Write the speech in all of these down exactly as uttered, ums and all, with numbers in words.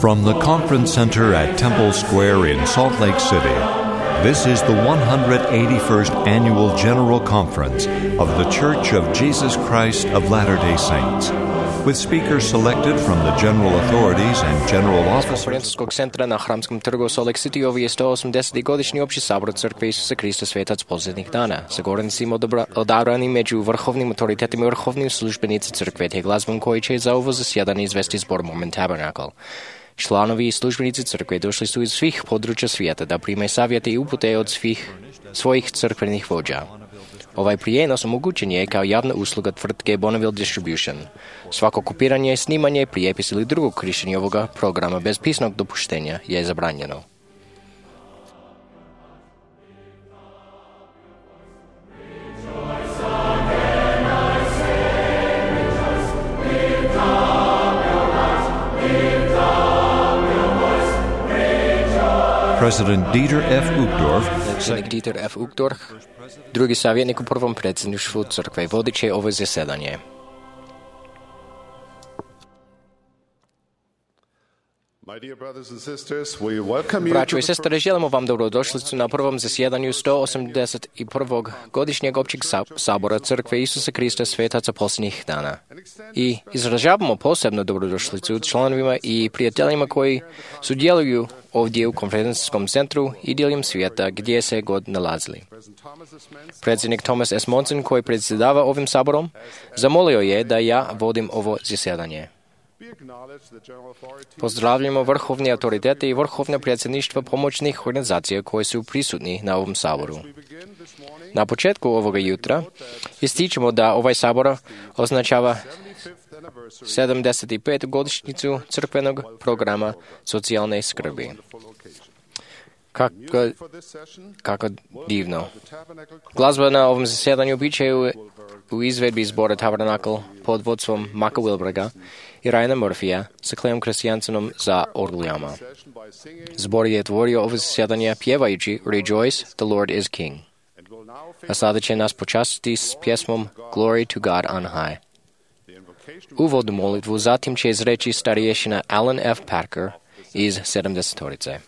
From the Conference Center at Temple Square in Salt Lake City, this is the one hundred eighty-first Annual General Conference of the Church of Jesus Christ of Latter-day Saints, with speakers selected from the general authorities and general officers. Конференцскog centra na Hramskom trgu Salt Lake City ovo je sto osamdeseti godišnji opći sabor Crkve Isusa Krista Svetac posljednjih dana, sa govornicima odabrani među vrhovnim autoritetima i vrhovnim službenicima Crkve, te glazbom koji će za ovo zasjedanje izvesti zbor Mormon Tabernacle. Članovi i službenici Crkve došli su iz svih područja svijeta da prime savjete i upute od svih svojih crkvenih vođa. Ovaj prijenos omogućen je kao javna usluga tvrtke Bonneville Distribution. Svako kopiranje, snimanje, prijepis ili drugo korištenje ovoga programa bez pisnog dopuštenja je zabranjeno. President Dieter F. Uchtdorf, predsjednik Dieter F. Uchtdorf, drugi savjetnik u prvom predsjedništvu Crkve, vodit će ovo zasjedanje. Braćo i sestre, želimo vam dobrodošlicu na prvom zasjedanju sto osamdeset prvog godišnjeg općeg sabora Crkve Isusa Krista Svetaca posljednjih dana. I izražavamo posebno dobrodošlicu članovima i prijateljima koji sudjeluju ovdje u konferencijskom centru i diljem svijeta gdje se god nalazili. Predsjednik Thomas S. Monson, koji predsjedava ovim saborom, zamolio je da ja vodim ovo zasjedanje. Pozdravljamo vrhovne autoritete i vrhovne predsjedništva pomoćnih organizacija koji su prisutni na ovom saboru. Na početku ovoga jutra ističemo da ovaj sabor označava sedamdeset petu godišnjicu crkvenog programa socijalne skrbi. Kako, kako divno. Glazba na ovom zasjedanju bit će u, u izvedbi zbora Tabernacle pod vodstvom Maka Wilberga i Ryana Murphyja sa Cleom Christiansenom za orglijama. Zbor je tvorio ovo zasjedanje pjevajući Rejoice, the Lord is King. A sada će nas počastiti s pjesmom Glory to God on High. Uvodnu molitvu zatim će izreći starješina Alan F. Parker iz sedamdesetorice.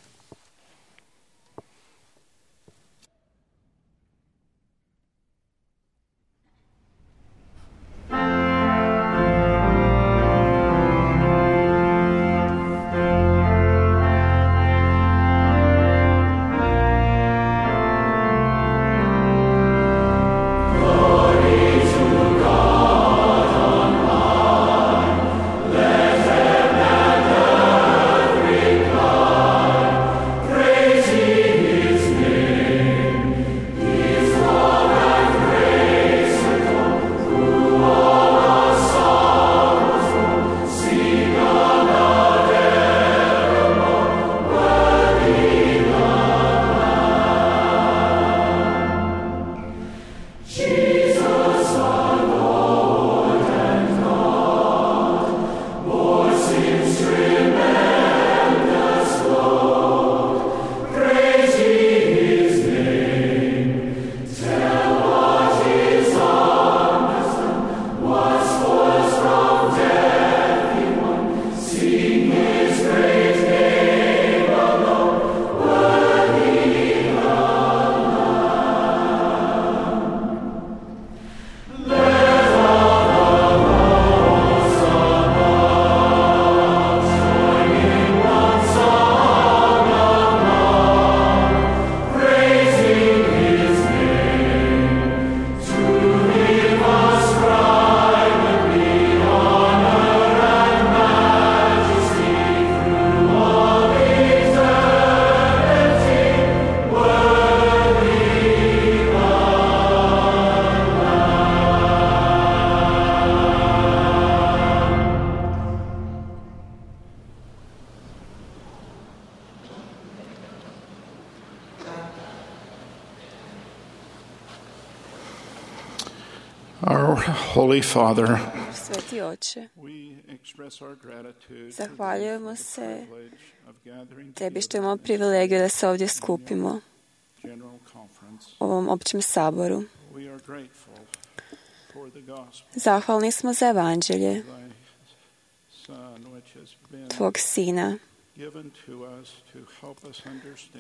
Our Holy Father, Sveti Oče, zahvaljujemo se Tebi što imamo privilegiju da se ovdje skupimo u ovom općem saboru. Zahvalni smo za evanđelje Tvog Sina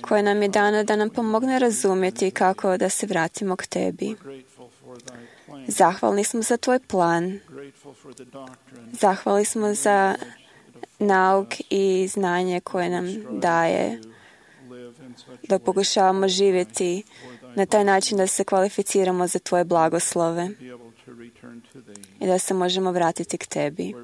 koje nam je dano da nam pomogne razumjeti kako da se vratimo k tebi. Zahvalni smo za tvoj plan. Zahvalni smo za nauk i znanje koje nam daje da pokušavamo živjeti na taj način da se kvalificiramo za tvoje blagoslove i da se možemo vratiti k tebi.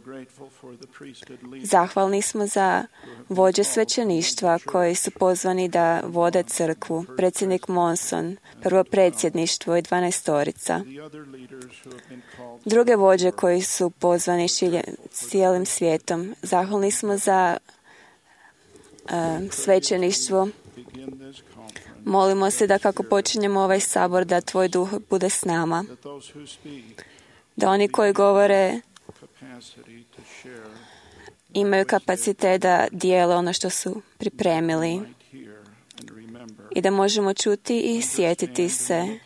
Zahvalni smo za vođe svećeništva koji su pozvani da vode crkvu, predsjednik Monson, prvo predsjedništvo i dvanaestorica. Druge vođe koji su pozvani šilje, cijelim svijetom. Zahvalni smo za uh, svećeništvo. Molimo se da kako počinjemo ovaj sabor, da tvoj duh bude s nama. Da oni koji govore imaju kapacitet da dijele ono što su pripremili i da možemo čuti i sjetiti se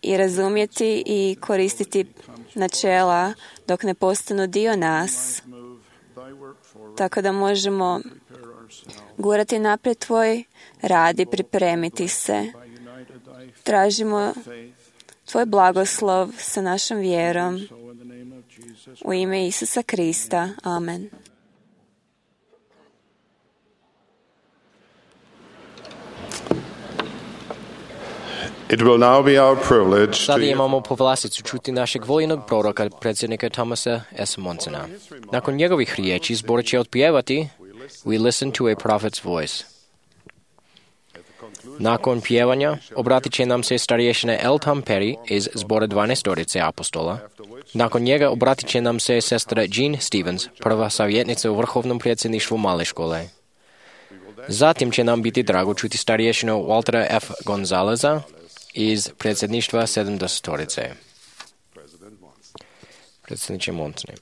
i razumjeti i koristiti načela dok ne postanu dio nas, tako da možemo gurati naprijed tvoj rad i pripremiti se. Tražimo tvoj blagoslov sa našom vjerom u ime Isusa Krista. Amen. It will now be our privilege Sada imamo povlasticu čuti našeg voljenog proroka, predsjednika Thomasa S. Monsona. Nakon njegovih riječi zbor će otpjevati We listen to a prophet's voice. Nakon pjevanja obratit će nam se starješina L. Tom Perry iz zbora dvanaestorice apostola. Nakon njega obratit će nam se sestra Jean Stevens, prva savjetnica u vrhovnom predsjedništvu male škole. Zatim će nam biti drago čuti starješinu Waltera F. Gonzaleza iz predsjedništva sedamdesetorice. Predsjedniče Monsone.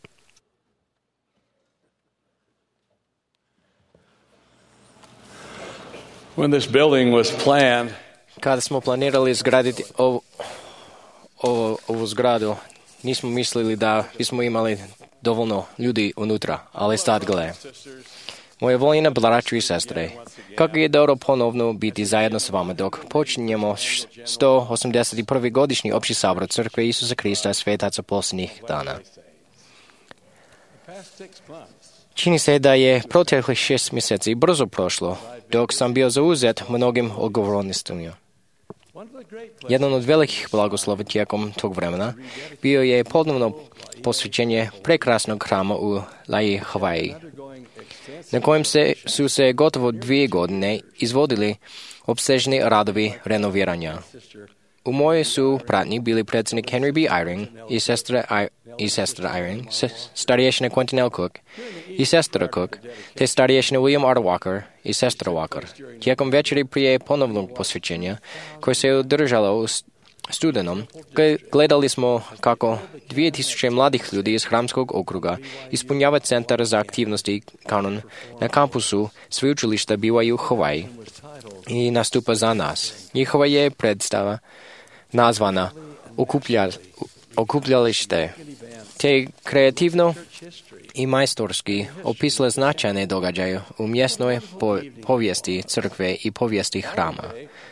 When this building was planned, Kada smo planirali izgraditi ovu, ovu, ovu zgradu, nismo mislili da bismo imali dovoljno ljudi unutra, ali sad gle. Moje voljene braću i sestre, kako je dobro ponovno biti zajedno s vama dok počinjemo sto osamdeset prvi godišnji opći sabor Crkve Isusa Krista svetaca posljednjih dana. Čini se da je proteklih šest mjeseci brzo prošlo, dok sam bio zauzet mnogim odgovornostima. Jedan od velikih blagoslova tijekom tog vremena bio je ponovno posvećenje prekrasnog hrama u Laie, Havaji, na kojem se, su se gotovo dvije godine izvodili opsežni radovi renoviranja. U mojoj su pratnji bili predsjednik Henry B. Eyring i sestra, I, i sestra Eyring, starješina Quentin L. Cook i sestra Cook, te starješina William R. Walker i sestra Walker. Tijekom večeri prije ponovnog posvećenja, koje se održalo u studenom, gledali smo kako dvije tisuće mladih ljudi iz hramskog okruga ispunjava centar za aktivnosti kanon na kampusu sveučilišta B Y U Hawaii i nastupa za nas. Njihova je predstava nazvana Okuplja, Okupljalište, te kreativno i majstorski opisale značajne događaje u mjesnoj po, povijesti crkve i povijesti hrama.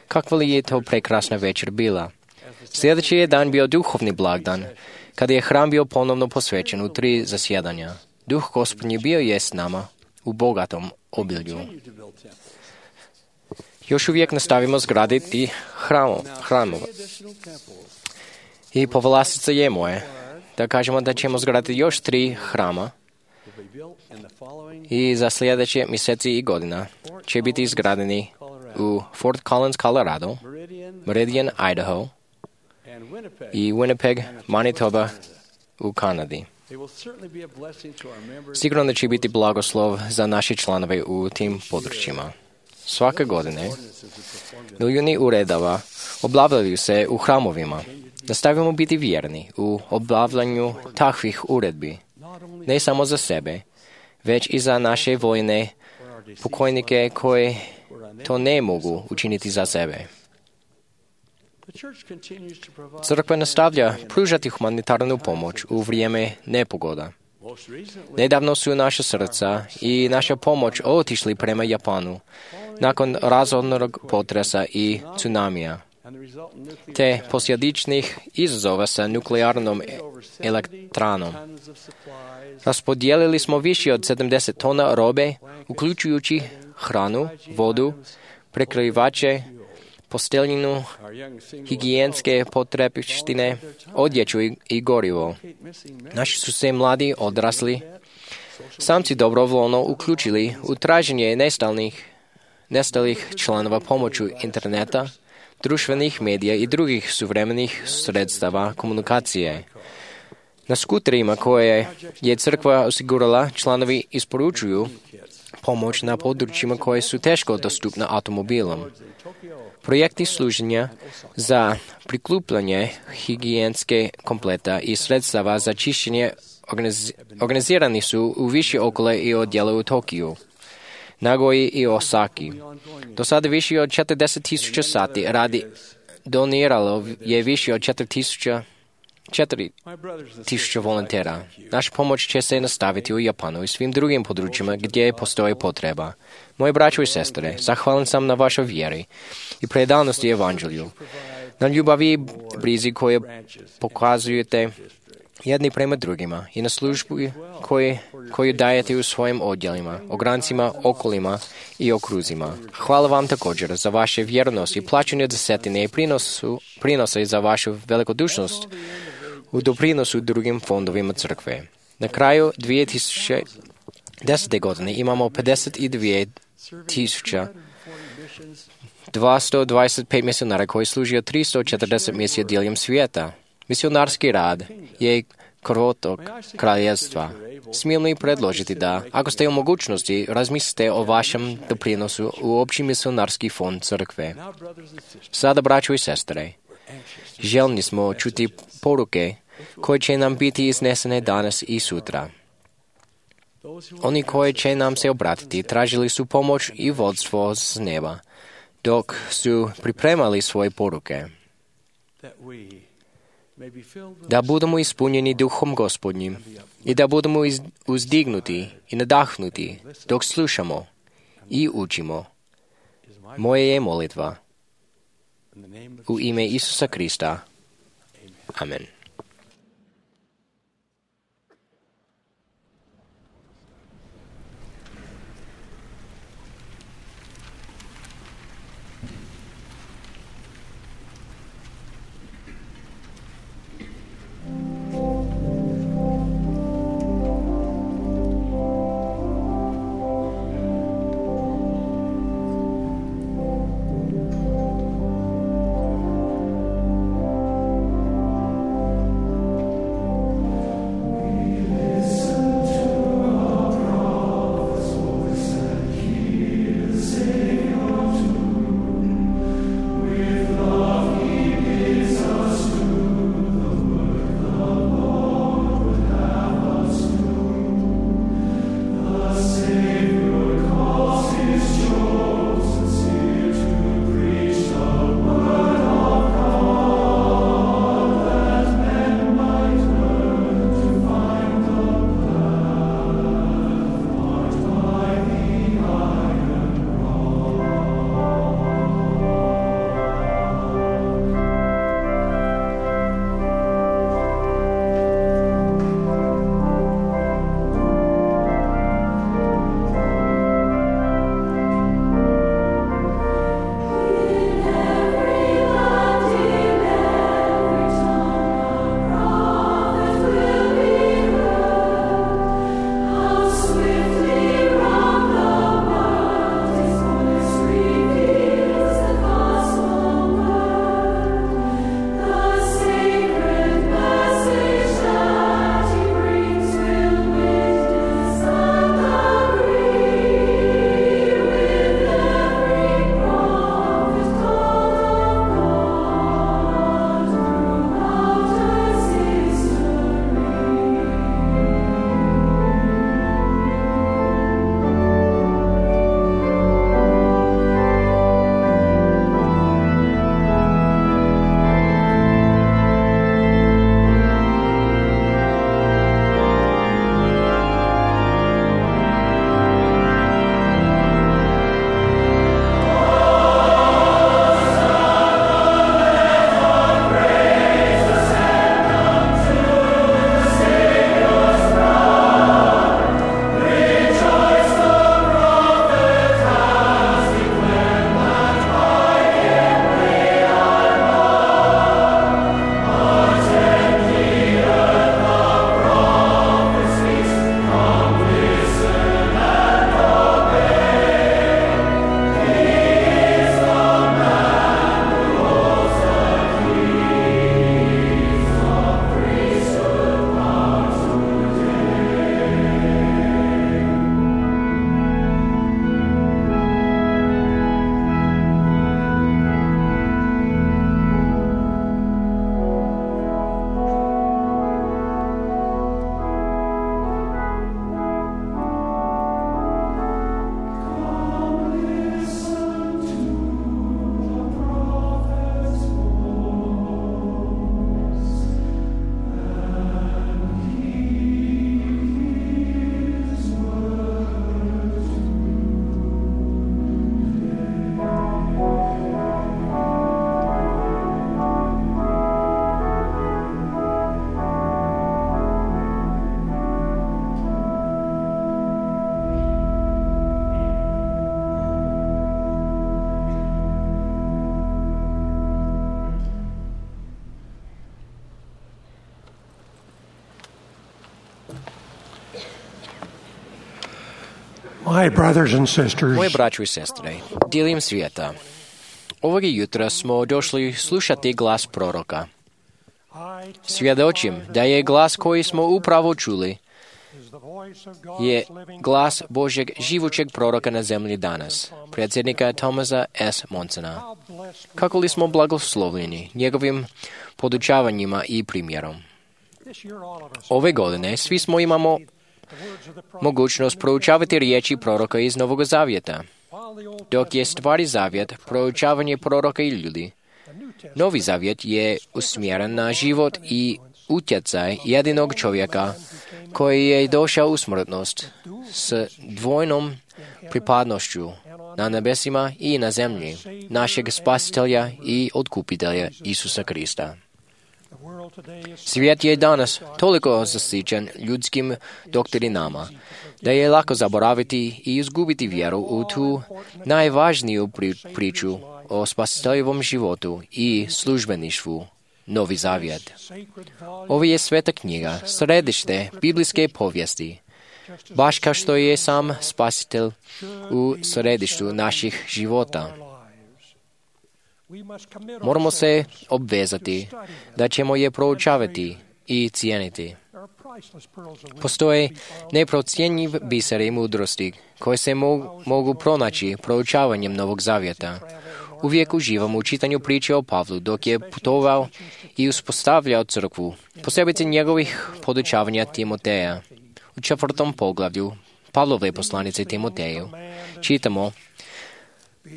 Kakva li je to prekrasna večer bila? Sljedeći je dan bio duhovni blagdan, kada je hram bio ponovno posvećen u tri zasjedanja. Duh Gospodnji bio je s nama u bogatom obilju. Još uvijek nastavimo zgraditi hramo, hramova. I povlastica je moje da kažemo da ćemo zgraditi još tri hrama i za sljedeće mjeseci i godina će biti izgradeni u Fort Collins, Colorado, Meridian, Idaho i Winnipeg, Manitoba u Kanadi. Sigurno će biti blagoslov za naše članove u tim područjima. Svake godine milijuni uredava obavljaju se u hramovima. Nastavimo biti vjerni u obavljanju takvih uredbi, ne samo za sebe, već i za naše vojne pokojnike koji to ne mogu učiniti za sebe. Crkva nastavlja pružati humanitarnu pomoć u vrijeme nepogoda. Nedavno su naša srca i naša pomoć otišli prema Japanu nakon razornog potresa i tsunamija, te posljedičnih izazova sa nuklearnom elektranom. Raspodijelili smo više od sedamdeset tona robe, uključujući hranu, vodu, prekrivače, posteljinu, higijenske potrepštine, odjeću i, i gorivo. Naši su se mladi odrasli samci dobrovoljno uključili u traženje nestalnih, nestalih članova pomoću interneta, društvenih medija i drugih suvremenih sredstava komunikacije. Na skuterima koje je crkva osigurala, članovi isporučuju pomoć na područjima koje su teško dostupna automobilom. Projekti služenja za prikupljanje higijenske kompleta i sredstava za čišćenje organiz, organizirani su u više okole i odjela u Tokiju, Nagoji i Osaki. Do sada više od četrdeset tisuća sati radi doniralo je više od četiri tisuće volontera. Naša pomoć će se nastaviti u Japanu i svim drugim područjima gdje postoji potreba. Moje braćo i sestre, zahvalan sam na vašoj vjeri i predanosti evanđelju, na ljubavi i brizi koje pokazujete jedni prema drugima i na službu koju, koju dajete u svojim odjelima, ograncima, okolima i okruzima. Hvala vam također za vaše vjernost i plaćanje desetine i prinosu, prinose za vašu velikodušnost u doprinosu drugim fondovima crkve. Na kraju dvije tisuće desete. godine imamo pedeset dvije tisuće dvjesto dvadeset pet misionara koji služe tristo četrdeset misija diljem svijeta. Misionarski rad je krvotok kraljevstva. Smijem li predložiti da, ako ste u mogućnosti, razmislite o vašem doprinosu u opći misionarski fond crkve. Sada, braćo i sestre, željni smo čuti poruke koje će nam biti iznesene danas i sutra. Oni koji će nam se obratiti tražili su pomoć i vodstvo s neba, dok su pripremali svoje poruke. Da budemo ispunjeni duhom Gospodnjim i da budemo uzdignuti i nadahnuti dok slušamo i učimo. Moje je molitva. U ime Isusa Krista. Amen. My brothers and sisters, Moje braćo i sestre, diljem svijeta, ovoga jutra smo došli slušati glas proroka. Svjedočim da je glas koji smo upravo čuli je glas Božjeg živućeg proroka na zemlji danas, predsjednika Thomasa S. Monsona. Kako li smo blagoslovljeni njegovim podučavanjima i primjerom. Ove godine svi smo imamo mogućnost proučavati riječi proroka iz Novog Zavjeta. Dok je Stari Zavjet proučavanje proroka i ljudi, Novi Zavjet je usmjeren na život i utjecaj jedinog čovjeka koji je došao u smrtnost s dvojnom pripadnošću na nebesima i na zemlji, našeg spasitelja i otkupitelja Isusa Krista. Svijet je danas toliko zasićen ljudskim doktrinama, da je lako zaboraviti i izgubiti vjeru u tu najvažniju pri- priču o spasiteljevom životu i službeništvu, Novi Zavjet. Ovo je sveta knjiga, središte biblijske povijesti, baš kao što je sam spasitelj u središtu naših života. Moramo se obvezati da ćemo je proučavati i cijeniti. Postoje neprocjenjiv biseri mudrosti koje se mogu, mogu pronaći proučavanjem Novog Zavjeta. Uvijek uživam u čitanju priče o Pavlu dok je putovao i uspostavljao crkvu, posebice njegovih podučavanja Timoteja. U četvrtom poglavlju Pavlove poslanice Timoteju čitamo: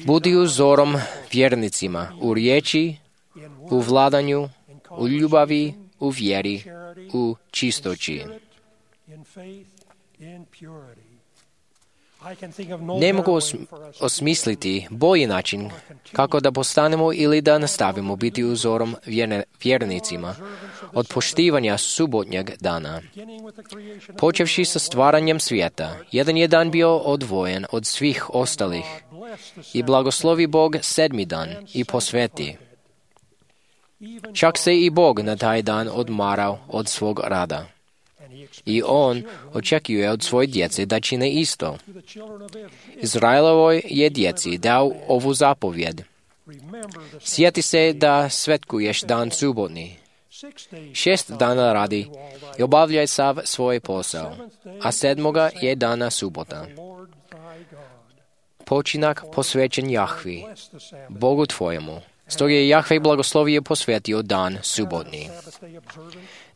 Budi uzorom vjernicima u riječi, u vladanju, u ljubavi, u vjeri, u čistoći. Ne mogu os- osmisliti bolji način kako da postanemo ili da nastavimo biti uzorom vjerne- vjernicima od poštivanja subotnjeg dana. Počevši sa stvaranjem svijeta, jedan je dan bio odvojen od svih ostalih i blagoslovi Bog sedmi dan i posveti. Čak se i Bog na taj dan odmarao od svog rada. I On očekuje od svoje djece da čine isto. Izraelovoj je djeci dao ovu zapovjed. Sjeti se da svetkuješ dan subotni. Šest dana radi i obavljaj sav svoj posao, a sedmoga je dana subota. Počinak posvećen Jahvi, Bogu tvojemu. Stoga je Jahve blagoslovio posvetio dan subotni.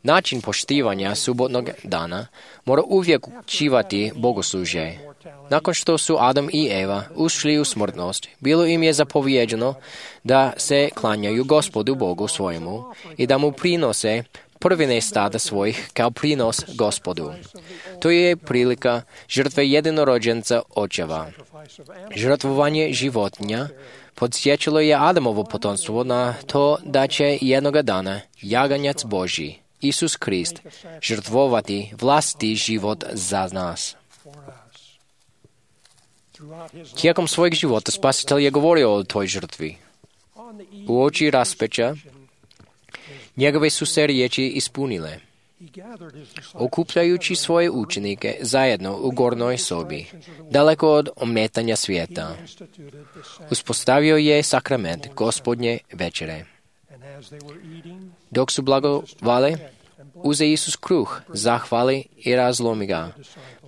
Način poštivanja subotnog dana mora uvijek učivati bogoslužje. Nakon što su Adam i Eva ušli u smrtnost, bilo im je zapovjeđeno da se klanjaju Gospodu Bogu svojemu i da mu prinose prvine stada svojih kao prinos Gospodu. To je prilika žrtve jedinorođenca očeva. Žrtvovanje životinja podsjećalo je Adamovo potomstvo na to da će jednoga dana jaganjac Božji, Isus Krist, žrtvovati vlastiti život za nas. Tijekom svojeg života Spasitelj je govorio o toj žrtvi. U oči raspeća njegove su se riječi ispunile. Okupljajući svoje učenike zajedno u gornjoj sobi, daleko od ometanja svijeta, uspostavio je sakrament Gospodnje večere. Dok su blagovali, uze Isus kruh, zahvali i razlomi ga,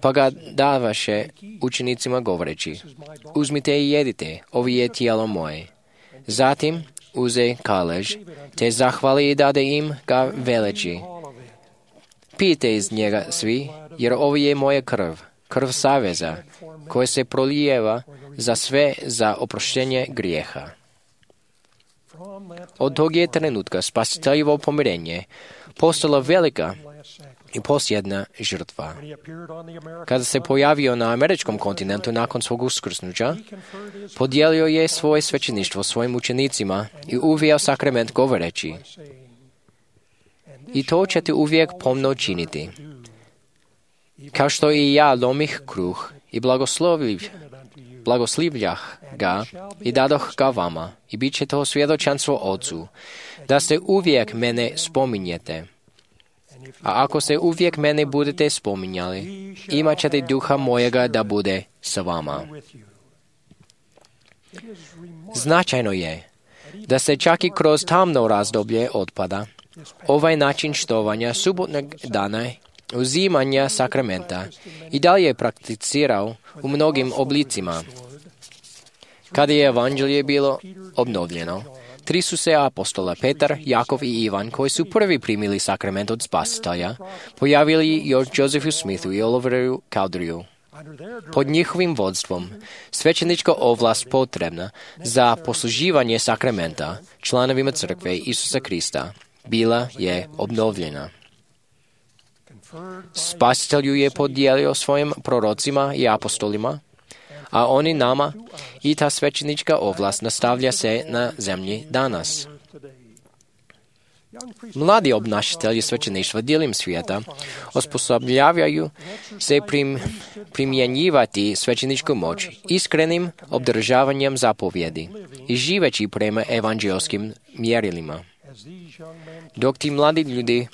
pa ga davaše učenicima govoreći: Uzmite i jedite, ovo je tijelo moje. Zatim uze kalež, te zahvali i dade im ga veleći: Pijte iz njega svi, jer ovo je moja krv, krv saveza, koja se prolijeva za sve za oproštenje grijeha. Od tog je trenutka spasiteljevo pomirenje postala velika i posljedna žrtva. Kada se pojavio na američkom kontinentu nakon svog uskrsnuća, podijelio je svoje svećeništvo svojim učenicima i uveo sakrament govoreći: I to ćete uvijek pomno činiti. Kao što i ja lomih kruh i blagosloviv, blagoslivljah ga i dadoh ga vama, i bit će to svjedočanstvo Otcu, da se uvijek mene spominjete. A ako se uvijek mene budete spominjali, imat ćete duha mojega da bude sa vama. Značajno je da se čak i kroz tamno razdoblje otpada ovaj način štovanja subotnog dana uzimanja sakramenta i dalje je prakticirao u mnogim oblicima. Kada je evanđelje bilo obnovljeno, tri su se apostola Petar, Jakov i Ivan, koji su prvi primili sakrament od Spasitelja, pojavili još Josephu Smithu i Oliveru Cowderyu. Pod njihovim vodstvom svećenička ovlast potrebna za posluživanje sakramenta članovima crkve Isusa Krista bila je obnovljena. Spasitelj ju je podijelio svojim prorocima i apostolima, a oni nama i ta svećenička ovlast nastavlja se na zemlji danas. Mladi obnašatelji svećeništva diljem svijeta osposobljavaju se prim, primjenjivati svećeničku moć iskrenim obdržavanjem zapovjedi i živeći prema evanđelskim mjerilima. Dok ti mladi ljudi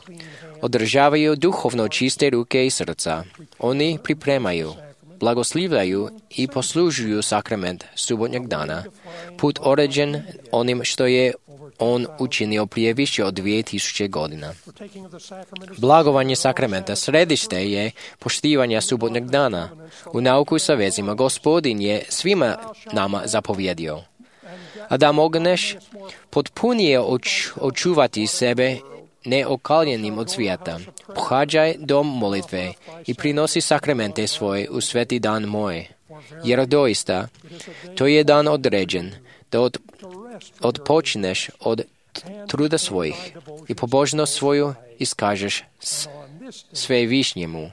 održavaju duhovno čiste ruke i srca, oni pripremaju, blagoslivljaju i poslužuju sakrament subotnjeg dana, put određen onim što je on učinio prije više od dvije tisuće godina. Blagovanje sakramenta središte je poštivanja subotnjeg dana. U nauku sa vezima Gospodin je svima nama zapovjedio. A da mogneš potpunije oč, očuvati sebe neokaljenim od svijeta, pohađaj dom molitve i prinosi sakramente svoje u sveti dan moj. Jer doista, to je dan određen, da od, odpočneš od truda svojih i pobožnost svoju iskažeš sve višnjemu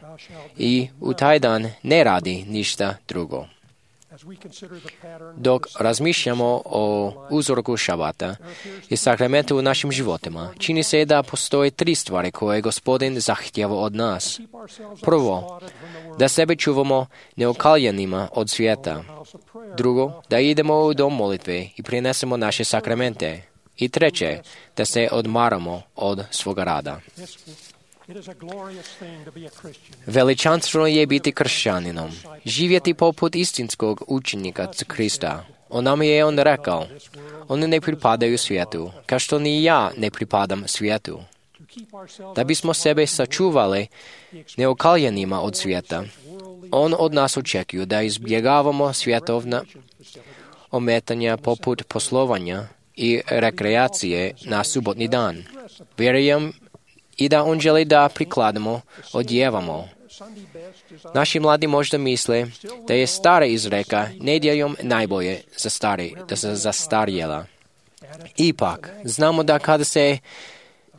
i u taj dan ne radi ništa drugo. Dok razmišljamo o uzorku šabata i sakramentu u našim životima, čini se da postoje tri stvari koje Gospodin zahtjeva od nas. Prvo, da sebe čuvamo neokaljenima od svijeta. Drugo, da idemo u dom molitve i prinesemo naše sakramente. I treće, da se odmaramo od svoga rada. Veličanstveno je biti kršćaninom, živjeti poput istinskog učenika Krista. On nam je on rekao, oni ne pripadaju svijetu, kao što ni ja ne pripadam svijetu. Da bismo sebe sačuvali neokaljenima od svijeta, on od nas očekuje da izbjegavamo svjetovna ometanja poput poslovanja i rekreacije na subotni dan. Vjerujem i da on želi da prikladno odjevamo. Naši mladi možda misle da je stara izreka nedjeljom najbolje za stari, da se zastarjela. Ipak, znamo da kada se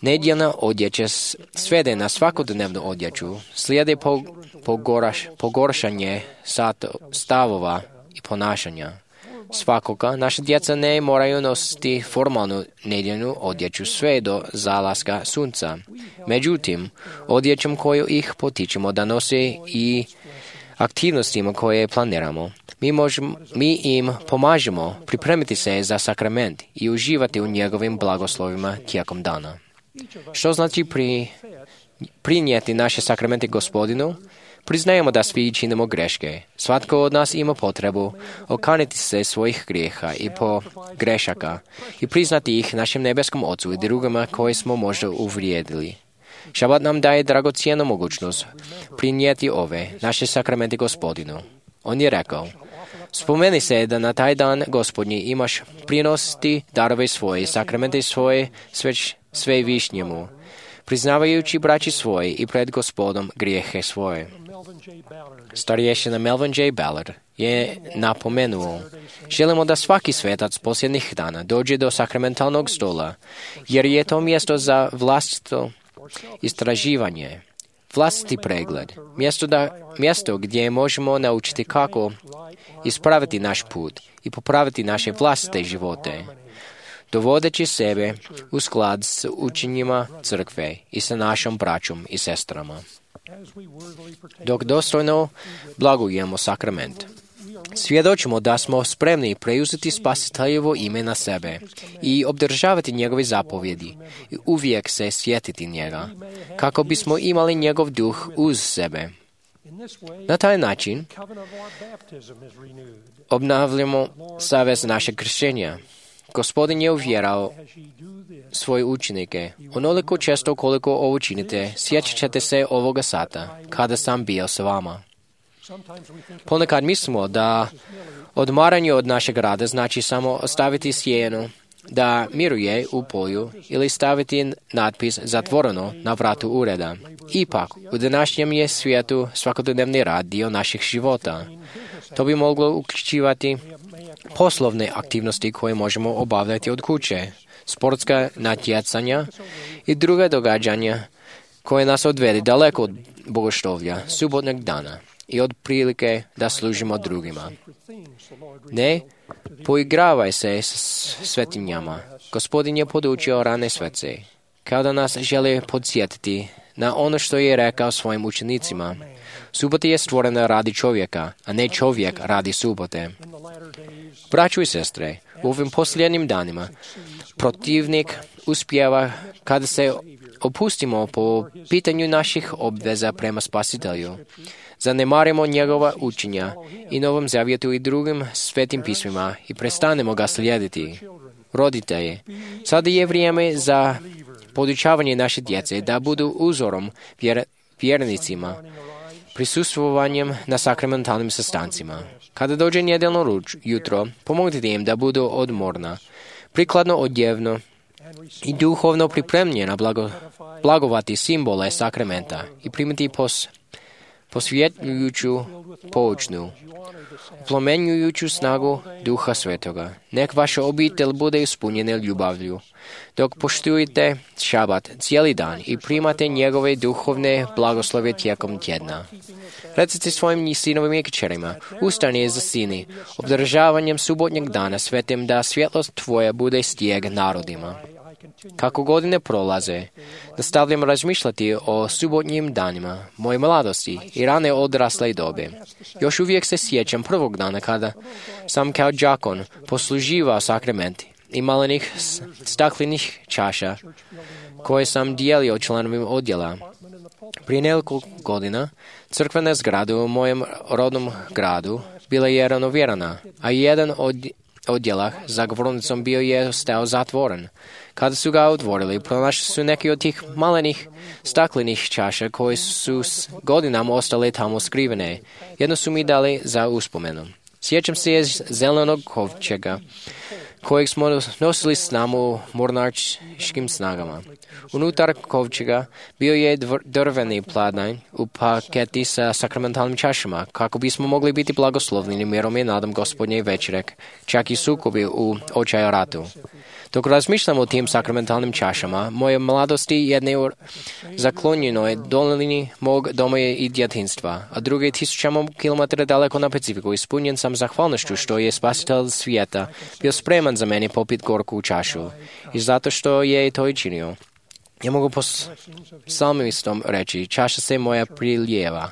nedjeljna odjeća svede na svakodnevnu odjeću, slijede pogoraš, pogoršanje stavova i ponašanja. Svakoga, naša djeca ne moraju nositi formalnu nedjeljnu odjeću sve do zalaska sunca. Međutim, odjećom koju ih potičemo da nose i aktivnostima koje planiramo, mi, možemo, mi im pomažemo pripremiti se za sakrament i uživati u njegovim blagoslovima tijekom dana. Što znači pri, prinijeti naše sakramente Gospodinu? Priznajemo da svi činimo greške. Svatko od nas ima potrebu okaniti se svojih grijeha i po grešaka i priznati ih našem nebeskom Ocu i drugima koje smo možda uvrijedili. Šabat nam daje dragocjenu mogućnost prinijeti ove naše sakramente Gospodinu. On je rekao, spomeni se da na taj dan Gospodnji imaš prinositi darove svoje, sakramente svoje, sve, sve višnjemu, priznavajući braći svoje i pred Gospodom grijehe svoje. Starješina Melvin J. Ballard je napomenuo, želimo da svaki svetac posljednjih dana dođe do sakramentalnog stola, jer je to mjesto za vlastito istraživanje, vlastiti pregled, mjesto, da, mjesto gdje možemo naučiti kako ispraviti naš put i popraviti naše vlastite živote, dovodeći sebe u sklad s učenjima crkve i sa našom braćom i sestrama. Dok dostojno blagujemo sakrament, Svjedočimo da smo spremni preuzeti Spasiteljevo ime na sebe i obdržavati njegove zapovjedi i uvijek se sjetiti njega, kako bismo imali njegov duh uz sebe. Na taj način obnavljamo savez našeg kršćenja. Gospodin je uvjerao svoje učenike, onoliko često koliko ovo činite, sjećat ćete se ovoga sata, kada sam bio s vama. Ponekad mislimo da odmaranje od našeg rada znači samo ostaviti sjenu da miruje u polju ili staviti natpis zatvoreno na vratu ureda. Ipak, u današnjem je svijetu svakodnevni rad dio naših života. To bi moglo uključivati poslovne aktivnosti koje možemo obavljati od kuće, sportska natjecanja i druga događanja koje nas odvede daleko od bogoštovlja, subotnog dana i od prilike da služimo drugima. Ne poigravaj se s svetinjama. Gospodin je podučio rane svece, kao da nas želi podsjetiti na ono što je rekao svojim učenicima. Subota je stvorena radi čovjeka, a ne čovjek radi subote. Braćo i sestre, u ovim posljednjim danima protivnik uspijeva kada se opustimo po pitanju naših obveza prema Spasitelju. Zanemarimo njegova učenja i Novom Zavjetu i drugim svetim pismima i prestanemo ga slijediti. Roditelji, sada je vrijeme za podučavanje naše djece da budu uzorom vjer, vjernicima, prisustvovanjem na sakramentalnim sastancima. Kada dođe nedjeljno jutro, pomognite im da budu odmorna, prikladno odjevno i duhovno pripremljena blago, blagovati simbole sakramenta i primiti pos, posvjetljujuću poučnu, plomenjujuću snagu Duha Svetoga. Nek vaša obitelj bude ispunjena ljubavlju, dok poštujete šabat cijeli dan i primate njegove duhovne blagoslove tijekom tjedna. Recite svojim sinovima i kćerima, ustani za sini, obdržavanjem subotnjeg dana svetim da svjetlost tvoja bude stijeg narodima. Kako godine prolaze, nastavljam razmišljati o subotnjim danima, moje mladosti i rane odrasle dobe. Još uvijek se sjećam prvog dana kada sam kao đakon posluživao sakrament i malenih staklenih čaša koje sam dijelio članovim odjela. Prije nekoliko godina crkvena zgrada u mojem rodnom gradu bila je renovirana, a jedan od odjela za govornicom bio je stao zatvoren. Kada su ga otvorili, pronašli su neki od tih malenih staklenih čaša koje su s godinama ostale tamo skrivene. Jedno su mi dali za uspomenu. Sjećam se je zelenog kovčega kojeg smo nosili s nama u mornaričkim snagama. Unutar kovčega bio je drveni pladanj u paketi sa sakramentalnim čašama, kako bismo mogli biti blagoslovljeni mirom i nadom Gospodnje večere, čak i sukobi u očaju ratu. Dok razmišljam o tim sakramentalnim čašama, moje mladosti jedne u zaklonjenoj dolini mog doma i djetinstva, a druge tisućama kilometara daleko na Pacifiku, ispunjen sam zahvalnošću što je Spasitelj svijeta bio spreman za mene popit gorku čašu i zato što je to i činio. Ja mogu po psalmistom reći, čaša se moja prilijeva,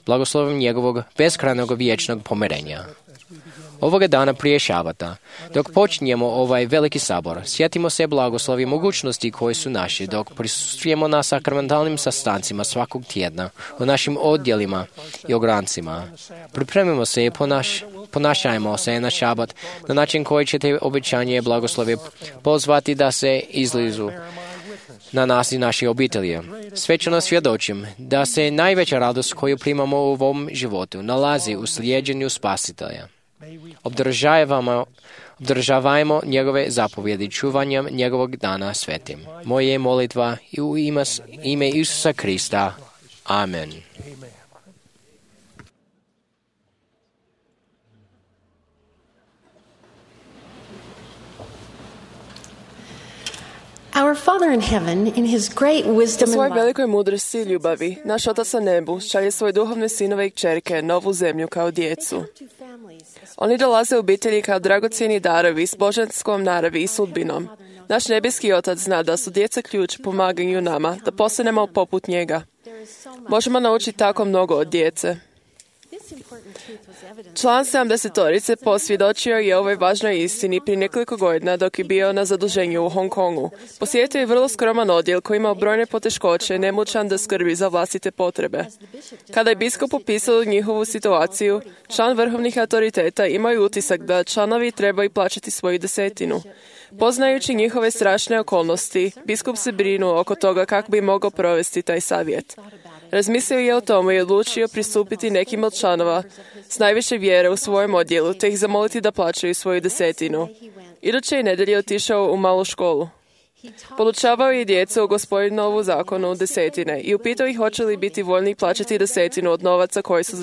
blagoslovim njegovog beskrajnog vječnog pomirenja. Ovoga dana prije šabata, dok počinjemo ovaj veliki sabor, sjetimo se blagoslovi mogućnosti koje su naše dok prisustvujemo na sakramentalnim sastancima svakog tjedna u našim odjelima i ograncima. Pripremimo se i ponaš, ponašajmo se na šabat na način koji ćete obećanje blagoslovi pozvati da se izlizu na nas i naše obitelji. Svečano svjedočim da se najveća radost koju primamo u ovom životu nalazi u slijeđenju Spasitelja. Obdržavajmo, obdržavajmo njegove zapovjedi čuvanjem njegovog dana svetim. Moje je molitva i u ime, ime Isusa Krista. Amen. Our Father in heaven, in his great wisdom U svojoj and love, velikoj mudrosti i ljubavi, naš Otac na nebu šalje svoje duhovne sinove i kćerke na ovu zemlju kao djecu. Oni dolaze u obitelji kao dragocjeni darovi s božanskom naravi i sudbinom. Naš nebeski Otac zna da su djeca ključ pomaganju nama, da postanemo poput njega. Možemo naučiti tako mnogo od djece. Član sedamdesetorice posvjedočio je ovoj važnoj istini prije nekoliko godina dok je bio na zaduženju u Hong Kongu. Posjetio je vrlo skroman odjel koji imao brojne poteškoće i nemoćan da skrbi za vlastite potrebe. Kada je biskup opisao njihovu situaciju, član vrhovnih autoriteta imao je utisak da članovi trebaju plaćati svoju desetinu. Poznajući njihove strašne okolnosti, biskup se brinuo oko toga kako bi mogao provesti taj savjet. Razmislio je o tome i odlučio pristupiti nekim od članova s najviše vjere u svojem odjelu, te ih zamoliti da plaćaju svoju desetinu. Iduće je nedelje otišao u malu školu. Podučavao je djecu o Gospodinovu zakonu desetine i upitao ih hoće li biti voljni plaćati desetinu od novaca koji su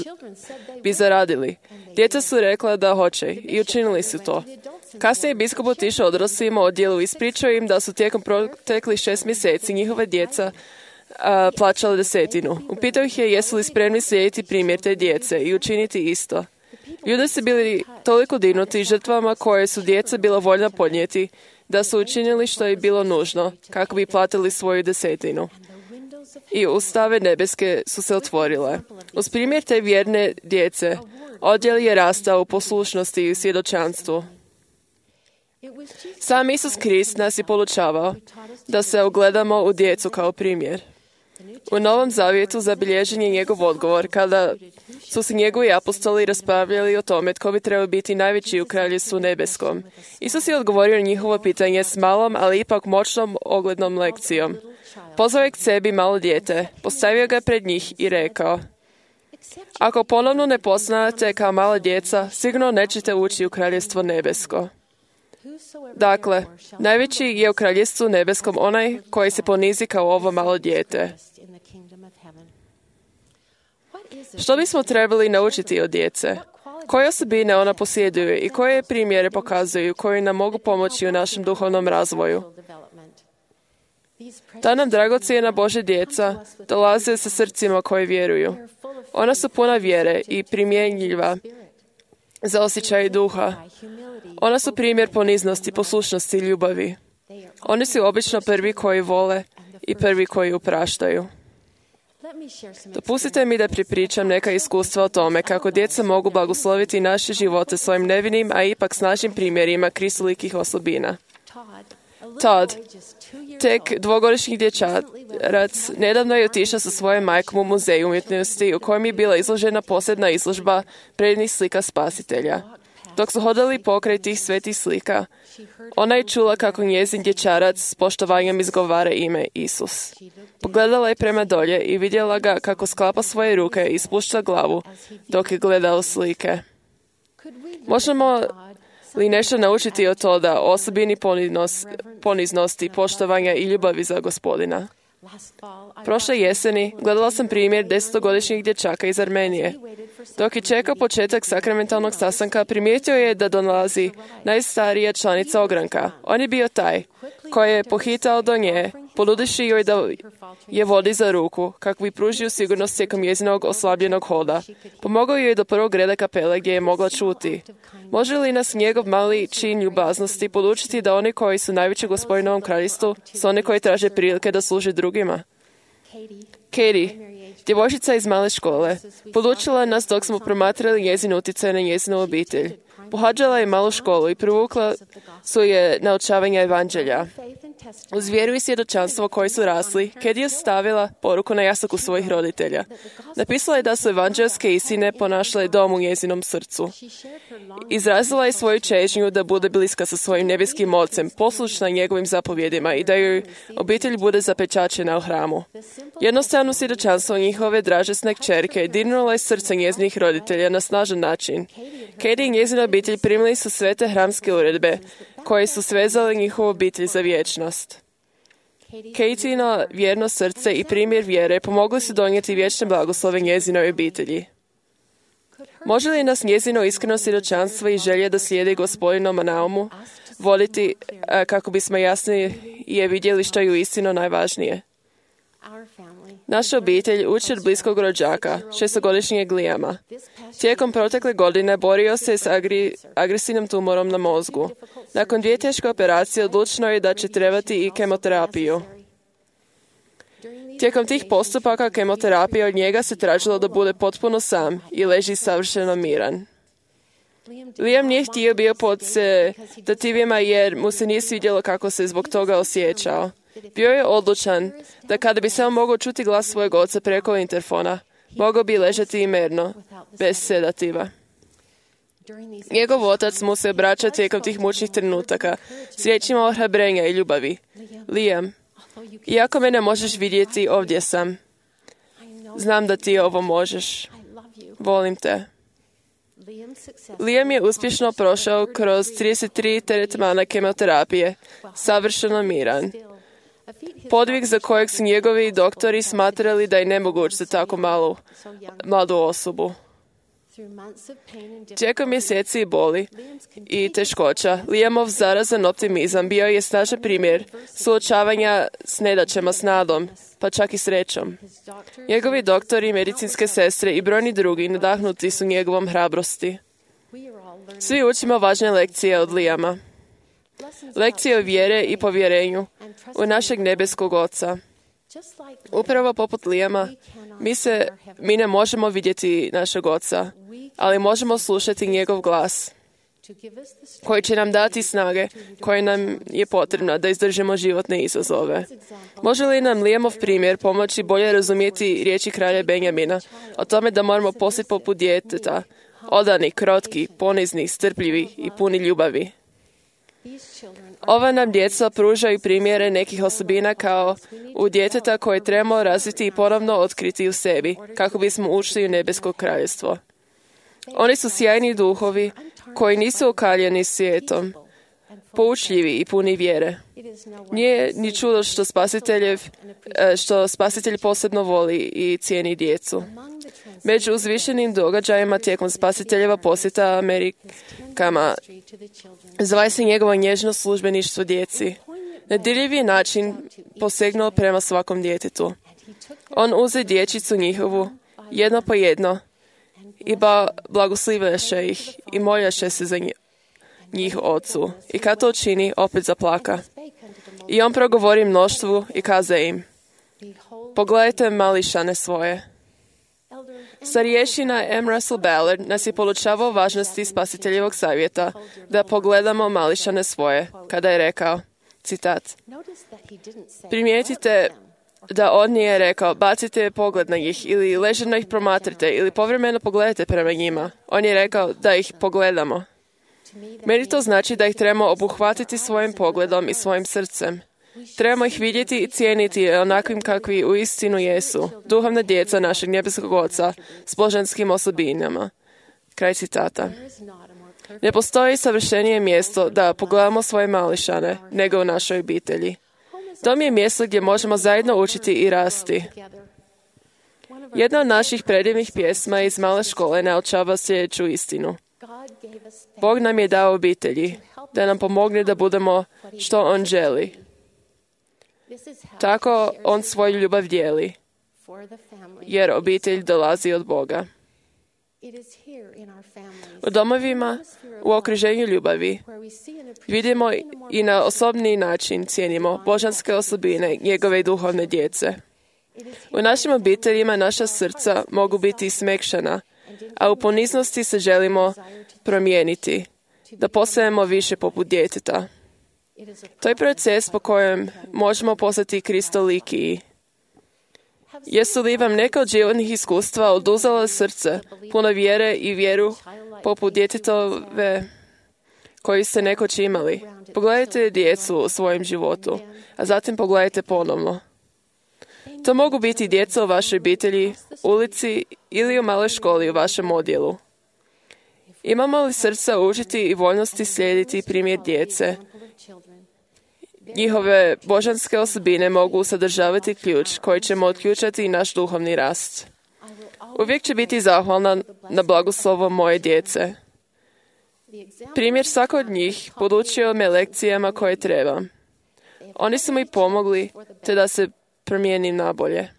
bi zaradili. Djeca su rekla da hoće i učinili su to. Kasnije je biskup otišao odraslima odjelu i ispričao im da su tijekom proteklih šest mjeseci njihove djeca a, plaćala desetinu. Upitao ih je jesu li spremni slijediti primjer te djece i učiniti isto. Ljudi su bili toliko dignuti žrtvama koje su djeca bila voljna podnijeti, da su učinili što je bilo nužno kako bi platili svoju desetinu. I ustave nebeske su se otvorile. Uz primjer te vjerne djece, odjel je rastao u poslušnosti i svjedočanstvu. Sam Isus Krist nas je podučavao da se ogledamo u djecu kao primjer. U Novom Zavjetu zabilježen je njegov odgovor kada su se njegovi apostoli raspravljali o tome tko bi trebao biti najveći u kraljevstvu nebeskom. Isus je odgovorio na njihovo pitanje s malom, ali ipak moćnom oglednom lekcijom. Pozvao je k sebi malo dijete, postavio ga pred njih i rekao: ako ponovno ne postanete kao mala djeca, sigurno nećete ući u kraljevstvo nebesko. Dakle, najveći je u kraljevstvu nebeskom onaj koji se ponizi kao ovo malo dijete. Što bismo trebali naučiti od djece? Koje osobine ona posjeduje i koje primjere pokazuju koji nam mogu pomoći u našem duhovnom razvoju? Ta nam dragocjena Božja djeca dolaze sa srcima koji vjeruju. Ona su puna vjere i primjenjiva za osjećaj duha. Ona su primjer poniznosti, poslušnosti i ljubavi. Oni su obično prvi koji vole i prvi koji upraštaju. Dopustite mi da pripričam neka iskustva o tome kako djeca mogu blagosloviti naše živote svojim nevinim, a ipak snažnim primjerima kristolikih osobina. Todd, tek dvogodišnji dječarac, nedavno je otišao sa svojom majkom u muzej umjetnosti u kojem je bila izložena posebna izložba predivnih slika Spasitelja. Dok su hodali pokraj tih svetih slika, ona je čula kako njezin dječarac s poštovanjem izgovara ime Isus. Pogledala je prema dolje i vidjela ga kako sklapa svoje ruke i spušta glavu dok je gledao slike. Možemo li nešto naučiti od toga o osobini poniznosti, poštovanja i ljubavi za Gospodina? Prošle jeseni gledala sam primjer desetogodišnjeg dječaka iz Armenije. Dok je čekao početak sakramentalnog sastanka, primijetio je da dolazi najstarija članica ogranka. On je bio taj koji je pohitao do nje, ponudivši joj da je vodi za ruku, kako bi pružio sigurnost tijekom njezinog oslabljenog hoda. Pomogao joj do prvog reda kapele gdje je mogla čuti. Može li nas njegov mali čin ljubaznosti podučiti da oni koji su najveći u Gospodinovom kraljevstvu su oni koji traže prilike da služe drugima? Katie, djevojčica iz male škole, podučila nas dok smo promatrali njezin utjecaj na njezinu obitelj. Pohađala je malu školu i privukla su je naučavanja evanđelja. Uz vjeru i svjedočanstvo koji su rasli, Katie je stavila poruku na jastuku svojih roditelja. Napisala je da su evanđelske istine ponašale dom u njezinom srcu. Izrazila je svoju čežnju da bude bliska sa svojim nebeskim ocem, poslušna njegovim zapovjedima i da joj obitelj bude zapečaćena u hramu. Jednostavno svjedočanstvo njihove dražesne kćerke dirnulo je srce njezinih roditelja na snažan način. Katie i njezina obitelj primili su sve te hramske uredbe koje su svezale njihovu obitelj za vječnost. Katieino vjerno srce i primjer vjere pomogli su donijeti vječne blagoslove njezinoj obitelji. Može li nas njezino iskreno svjedočanstvo i želje da slijedi Gospodinom naumu voditi kako bismo jasnije je vidjeli što je uistinu najvažnije? Naša obitelj uči od bliskog rođaka, šestogodišnjeg Liama. Tijekom protekle godine borio se s agri, agresivnim tumorom na mozgu. Nakon dvije teške operacije odlučeno je da će trebati i kemoterapiju. Tijekom tih postupaka kemoterapije od njega se tražilo da bude potpuno sam i leži savršeno miran. Liam nije htio bio pod sedativima jer mu se nije svidjelo kako se zbog toga osjećao. Bio je odlučan da kada bi samo mogao čuti glas svojeg oca preko interfona, mogao bi ležati i mirno, bez sedativa. Njegov otac mu se obraća tijekom tih mučnih trenutaka s riječima ohrabrenja i ljubavi. Liam, iako me ne možeš vidjeti, ovdje sam. Znam da ti ovo možeš. Volim te. Liam je uspješno prošao kroz trideset tri tretmana kemoterapije, savršeno miran. Podvig za kojeg su njegovi doktori smatrali da je nemoguć za tako malu, mladu osobu. Tijekom mjeseci boli i teškoća, Liamov zarazan optimizam bio je snažan primjer suočavanja s nedaćama, s nadom, pa čak i srećom. Njegovi doktori, medicinske sestre i brojni drugi nadahnuti su njegovom hrabrosti. Svi učimo važne lekcije od Liama. Lekcije o vjere i povjerenju u našeg nebeskog Oca. Upravo poput Liama, mi, se, mi ne možemo vidjeti našeg Oca, ali možemo slušati njegov glas, koji će nam dati snage koje nam je potrebna da izdržimo životne izazove. Može li nam Liamov primjer pomoći bolje razumjeti riječi kralja Benjamina o tome da moramo postati poput djeteta, odani, krotki, ponizni, strpljivi i puni ljubavi? Ova nam djeca pružaju primjere nekih osobina kao u djeteta koje trebamo razviti i ponovno otkriti u sebi, kako bismo ušli u nebesko kraljevstvo. Oni su sjajni duhovi koji nisu okaljeni svijetom, poučljivi i puni vjere. Nije ni čudo što spasiteljev, što spasitelj posebno voli i cijeni djecu. Među uzvišenim događajima tijekom spasiteljeva posjeta Amerikama zvaje se njegovo nježno službeništvo djeci. Na dirljivi način posegnuo prema svakom djetetu. On uze dječicu njihovu, jedno po jedno, i ba blagoslivaše ih i moljaše se za njih ocu. I kad to čini, opet zaplaka. I on progovori mnoštvu i kaze im: pogledajte mališane svoje. Starješina M. Russell Ballard nas je poučavao važnosti spasiteljevog savjeta da pogledamo mališane svoje, kada je rekao, citat, primijetite da on nije rekao bacite pogled na njih ili ležerno ih promatrite ili povremeno pogledajte prema njima. On je rekao da ih pogledamo. Meni to znači da ih trebamo obuhvatiti svojim pogledom i svojim srcem. Trebamo ih vidjeti i cijeniti onakvim kakvi uistinu jesu, duhovna djeca našeg nebeskog Oca s božanskim osobinama. Kraj citata. Ne postoji savršenije mjesto da pogledamo svoje mališane nego u našoj obitelji. Dom je mjesto gdje možemo zajedno učiti i rasti. Jedna od naših predivnih pjesma iz male škole naučava sljedeću istinu. Bog nam je dao obitelji, da nam pomogne da budemo što On želi. Tako On svoju ljubav dijeli, jer obitelj dolazi od Boga. U domovima, u okruženju ljubavi, vidimo i na osobni način cijenimo božanske osobine njegove duhovne djece. U našim obiteljima naša srca mogu biti smekšana, a u poniznosti se želimo promijeniti, da postajemo više poput djeteta. To je proces po kojem možemo postati kristolikiji. Jesu li vam neka od životnih iskustva oduzela srce, puno vjere i vjeru poput djetetove koji ste nekoć imali? Pogledajte djecu u svojem životu, a zatim pogledajte ponovno. To mogu biti djeca u vašoj obitelji, ulici ili u maloj školi u vašem odjelu. Imamo li srca učiti i voljnosti slijediti primjer djece? Njihove božanske osobine mogu sadržavati ključ koji ćemo otključati naš duhovni rast. Uvijek će biti zahvalna na blagoslovo moje djece. Primjer svako od njih podučio me lekcijama koje treba. Oni su mi pomogli te da se promijenim nabolje.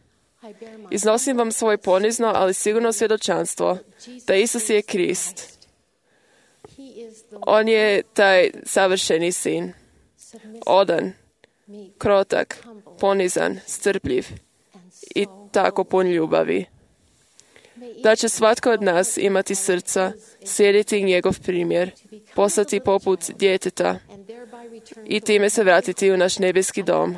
Iznosim vam svoje ponizno, ali sigurno svjedočanstvo da Isus je Krist. On je taj savršeni sin. Odan, krotak, ponizan, strpljiv i tako pun ljubavi. Da će svatko od nas imati srca, slijediti njegov primjer, postati poput djeteta i time se vratiti u naš nebeski dom.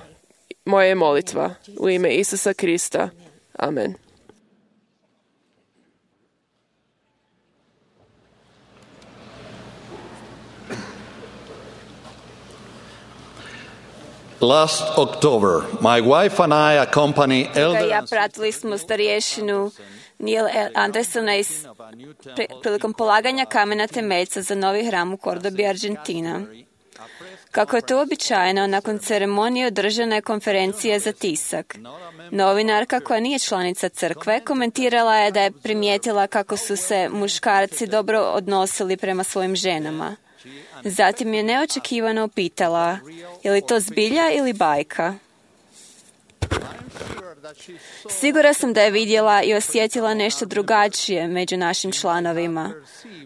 Moja je molitva u ime Isusa Krista. Amen. Last October, my wife and I accompany elder... Ja pratili smo starješinu Neil Andersona iz, pri, prilikom polaganja kamena temeljca za novi hram u Kordobi, Argentina. Kako je to uobičajeno, nakon ceremonije održana je konferencija za tisak. Novinarka, koja nije članica crkve, komentirala je da je primijetila kako su se muškarci dobro odnosili prema svojim ženama. Zatim je neočekivano upitala, je li to zbilja ili bajka? Sigura sam da je vidjela i osjetila nešto drugačije među našim članovima.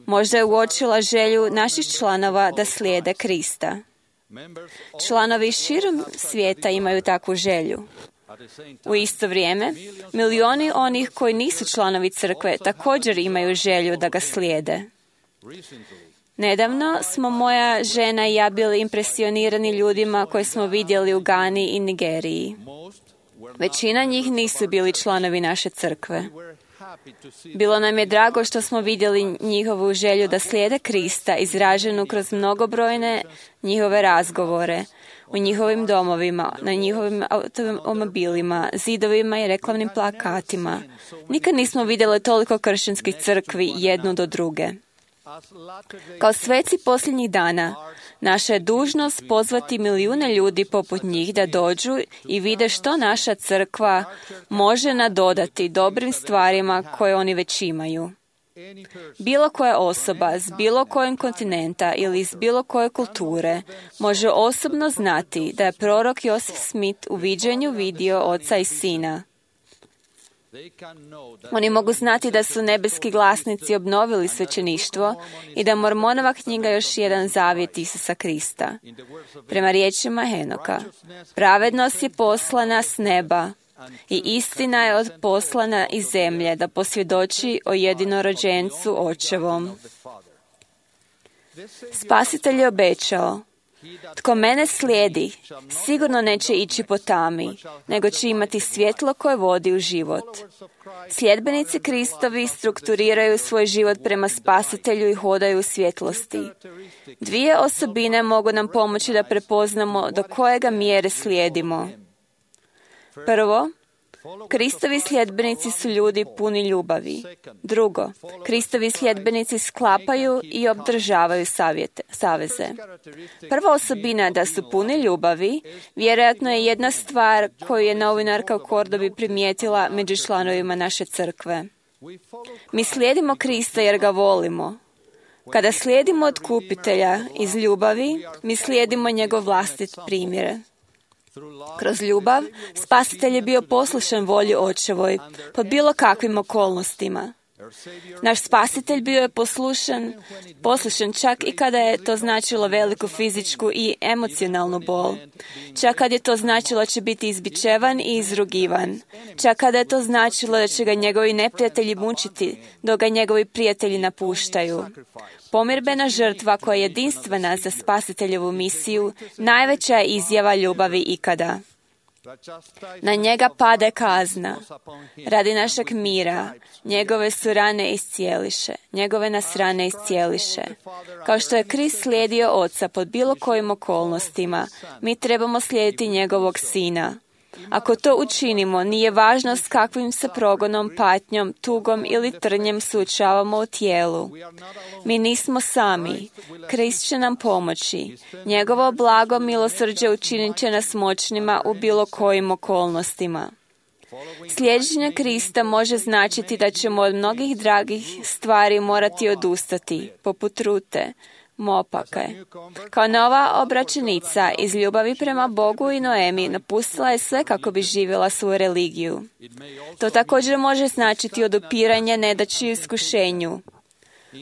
Možda je uočila želju naših članova da slijede Krista. Članovi širom svijeta imaju takvu želju. U isto vrijeme, milioni onih koji nisu članovi crkve također imaju želju da ga slijede. Nedavno smo moja žena i ja bili impresionirani ljudima koje smo vidjeli u Gani i Nigeriji. Većina njih nisu bili članovi naše crkve. Bilo nam je drago što smo vidjeli njihovu želju da slijede Krista izraženu kroz mnogobrojne njihove razgovore u njihovim domovima, na njihovim automobilima, zidovima i reklamnim plakatima. Nikad nismo vidjeli toliko kršćanskih crkvi jednu do druge. Kao sveci posljednjih dana, naša je dužnost pozvati milijune ljudi poput njih da dođu i vide što naša crkva može nadodati dobrim stvarima koje oni već imaju. Bilo koja osoba s bilo kojeg kontinenta ili iz bilo koje kulture može osobno znati da je prorok Joseph Smith u viđenju vidio oca i sina. Oni mogu znati da su nebeski glasnici obnovili svećeništvo i da Mormonova knjiga još jedan zavjet Isusa Krista. Prema riječima Henoka, pravednost je poslana s neba i istina je odposlana iz zemlje da posvjedoči o jedinorođencu očevom. Spasitelj je obećao, tko mene slijedi, sigurno neće ići po tami, nego će imati svjetlo koje vodi u život. Sljedbenici Kristovi strukturiraju svoj život prema Spasitelju i hodaju u svjetlosti. Dvije osobine mogu nam pomoći da prepoznamo do kojega mjere slijedimo. Prvo, Kristovi sljedbenici su ljudi puni ljubavi. Drugo, Kristovi sljedbenici sklapaju i obdržavaju savjete, saveze. Prva osobina da su puni ljubavi vjerojatno je jedna stvar koju je novinarka u Kordobi primijetila među članovima naše crkve. Mi slijedimo Krista jer ga volimo. Kada slijedimo Otkupitelja iz ljubavi, mi slijedimo njegov vlastit primjer. Kroz ljubav, Spasitelj je bio poslušan volji očevoj pod bilo kakvim okolnostima. Naš Spasitelj bio je poslušan, poslušan čak i kada je to značilo veliku fizičku i emocionalnu bol. Čak kad je to značilo da će biti izbičevan i izrugivan. Čak kada je to značilo da će ga njegovi neprijatelji mučiti, dok ga njegovi prijatelji napuštaju. Pomirbena žrtva koja je jedinstvena za Spasiteljevu misiju, najveća je izjava ljubavi ikada. Na njega pade kazna. Radi našeg mira, njegove su rane iscijeliše, njegove nas rane iscijeliše. Kao što je Krist slijedio Oca pod bilo kojim okolnostima, mi trebamo slijediti njegovog Sina. Ako to učinimo, nije važno s kakvim se progonom, patnjom, tugom ili trnjem suočavamo u tijelu. Mi nismo sami. Krist će nam pomoći. Njegovo blago milosrđe učinit će nas moćnima u bilo kojim okolnostima. Slijeđenje Krista može značiti da ćemo od mnogih dragih stvari morati odustati, poput rute, mopake. Kao nova obraćenica iz ljubavi prema Bogu i Noemi napustila je sve kako bi živjela svoju religiju. To također može značiti odupiranje nedaći i iskušenju.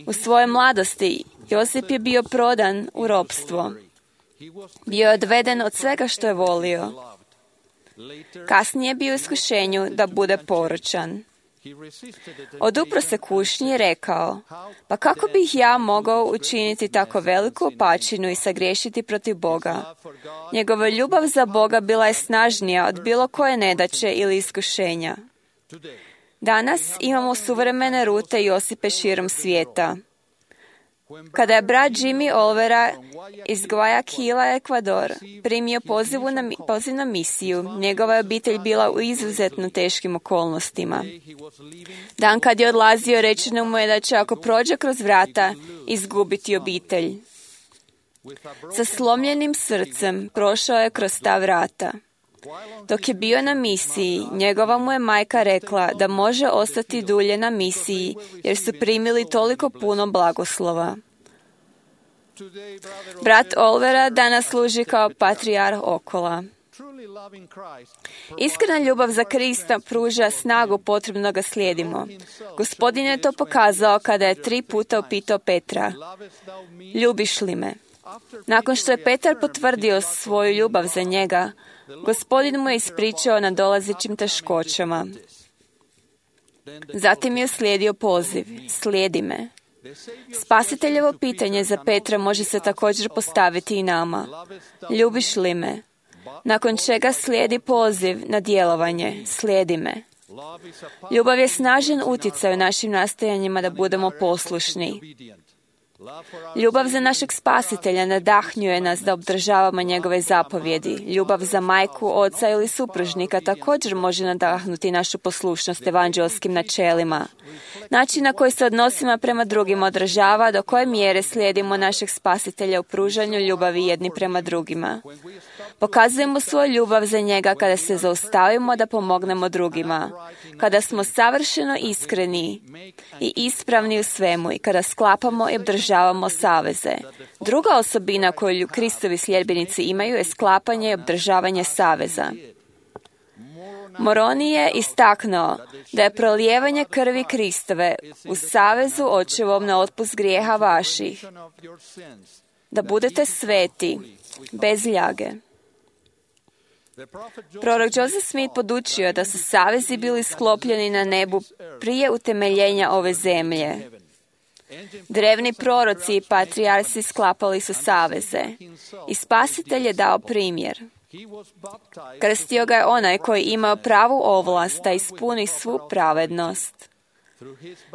U svojoj mladosti Josip je bio prodan u ropstvo. Bio je odveden od svega što je volio. Kasnije je bio u iskušenju da bude poročan. Odupro se kušnji i rekao, pa kako bih ja mogao učiniti tako veliku opačinu i sagriješiti protiv Boga? Njegova ljubav za Boga bila je snažnija od bilo koje nedaće ili iskušenja. Danas imamo suvremene rute i osipe širom svijeta. Kada je brat Jimmy Olvera iz Guayaquila, Ekvador, primio pozivu na, poziv na misiju, njegova je obitelj bila u izuzetno teškim okolnostima. Dan kad je odlazio, rečeno mu je da će, ako prođe kroz vrata, izgubiti obitelj. Sa slomljenim srcem prošao je kroz ta vrata. Dok je bio na misiji, njegova mu je majka rekla da može ostati dulje na misiji, jer su primili toliko puno blagoslova. Brat Olvera danas služi kao patrijarh Okola. Iskrena ljubav za Krista pruža snagu potrebno da ga slijedimo. Gospodin je to pokazao kada je tri puta upitao Petra, ljubiš li me? Nakon što je Petar potvrdio svoju ljubav za njega, Gospodin mu je ispričao na dolazećim teškoćama. Zatim je slijedio poziv, slijedi me. Spasiteljevo pitanje za Petra može se također postaviti i nama. Ljubiš li me? Nakon čega slijedi poziv na djelovanje, slijedi me. Ljubav je snažan utjecaj u našim nastojanjima da budemo poslušni. Ljubav za našeg Spasitelja nadahnjuje nas da obdržavamo njegove zapovjedi. Ljubav za majku, oca ili supružnika također može nadahnuti našu poslušnost evanđelskim načelima. Način na koji se odnosimo prema drugima odražava do koje mjere slijedimo našeg Spasitelja u pružanju ljubavi jedni prema drugima. Pokazujemo svoju ljubav za njega kada se zaustavimo da pomognemo drugima, kada smo savršeno iskreni i ispravni u svemu i kada sklapamo i obdržavamo saveze. Druga osobina koju Kristovi sljedbenici imaju je sklapanje i obdržavanje saveza. Moroni je istaknuo da je prolijevanje krvi Kristove u savezu očevom na otpust grijeha vaših, da budete sveti, bez ljage. Prorok Joseph Smith podučio je da su savezi bili sklopljeni na nebu prije utemeljenja ove zemlje. Drevni proroci i patrijarsi sklapali su saveze i Spasitelj je dao primjer. Krstio ga je onaj koji imao pravu ovlast da ispuni svu pravednost.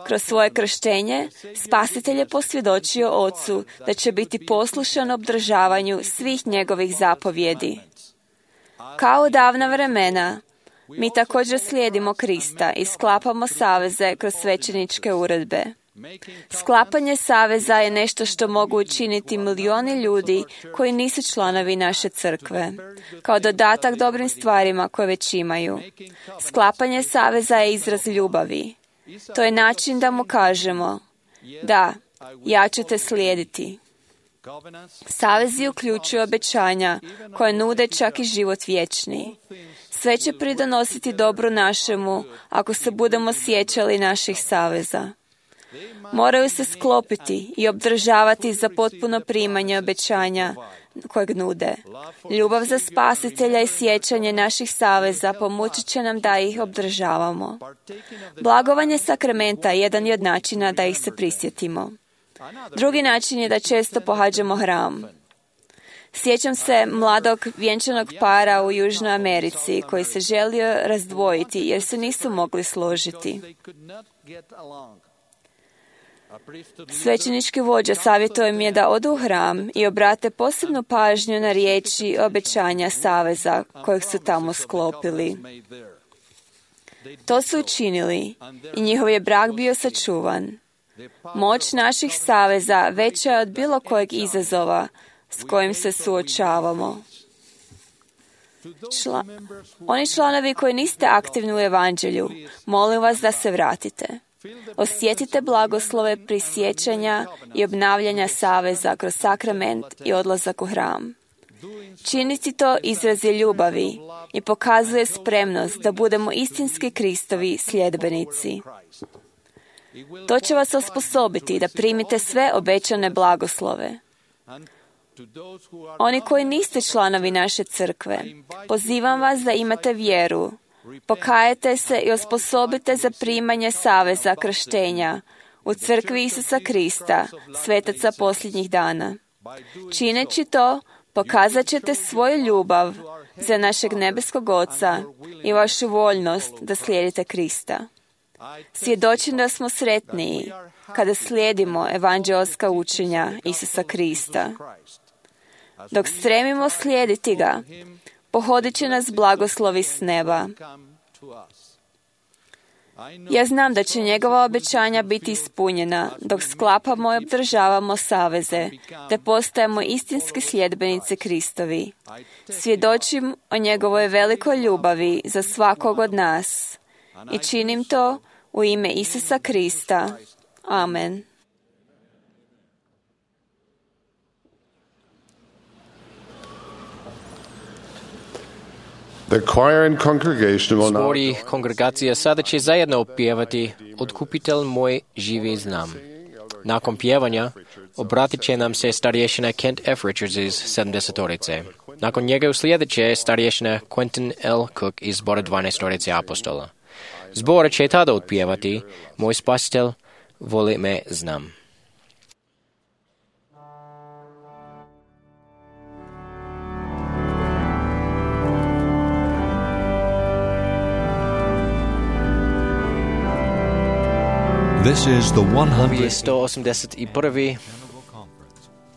Kroz svoje krštenje, Spasitelj je posvjedočio Ocu da će biti poslušan obdržavanju svih njegovih zapovjedi. Kao u davna vremena, mi također slijedimo Krista i sklapamo saveze kroz svećeničke uredbe. Sklapanje saveza je nešto što mogu učiniti milioni ljudi koji nisu članovi naše crkve, kao dodatak dobrim stvarima koje već imaju. Sklapanje saveza je izraz ljubavi. To je način da mu kažemo, da, ja ću te slijediti. Savezi uključuju obećanja koje nude čak i život vječni. Sve će pridonositi dobru našemu ako se budemo sjećali naših saveza. Moraju se sklopiti i obdržavati za potpuno primanje obećanja kojeg nude. Ljubav za Spasitelja i sjećanje naših saveza pomoći će nam da ih obdržavamo. Blagovanje sakramenta je jedan od načina da ih se prisjetimo. Drugi način je da često pohađamo hram. Sjećam se mladog vjenčanog para u Južnoj Americi koji se želio razdvojiti jer se nisu mogli složiti. Svećenički vođa savjetuje mi je da odu u hram i obrate posebnu pažnju na riječi i obećanja saveza kojeg su tamo sklopili. To su učinili i njihov je brak bio sačuvan. Moć naših saveza veća je od bilo kojeg izazova s kojim se suočavamo. Čla... Oni članovi koji niste aktivni u evanđelju, molim vas da se vratite. Osjetite blagoslove prisjećanja i obnavljanja saveza kroz sakrament i odlazak u hram. Činiti to izraz je ljubavi i pokazuje spremnost da budemo istinski Kristovi sljedbenici. To će vas osposobiti da primite sve obećane blagoslove. Oni koji niste članovi naše crkve, pozivam vas da imate vjeru. Pokajete se i osposobite za primanje saveza krštenja u crkvi Isusa Krista, svetaca posljednjih dana. Čineći to, pokazat ćete svoju ljubav za našeg nebeskog Oca i vašu voljnost da slijedite Krista. Svjedočim da smo sretniji kada slijedimo evanđelska učenja Isusa Krista. Dok stremimo slijediti ga, pohodit će nas blagoslovi s neba. Ja znam da će njegova obećanja biti ispunjena dok sklapamo i obdržavamo saveze, te postajemo istinski sljedbenici Kristovi. Svjedočim o njegovoj velikoj ljubavi za svakog od nas i činim to u ime Isusa Krista. Amen. The choir and congregation will now... Zbor i kongregacija sada će zajedno opjevati Otkupitelj moj živi znam. Nakon pjevanja obratit će nam se starješina Kent F. Richards iz sedamdesetorice. Nakon njega uslijedit će starješina Quentin L. Cook iz zbora dvanaestorice apostola. Zbor će tada otpjevati Moj spasitelj voli me znam. This is the Ovo je sto osamdeset prvi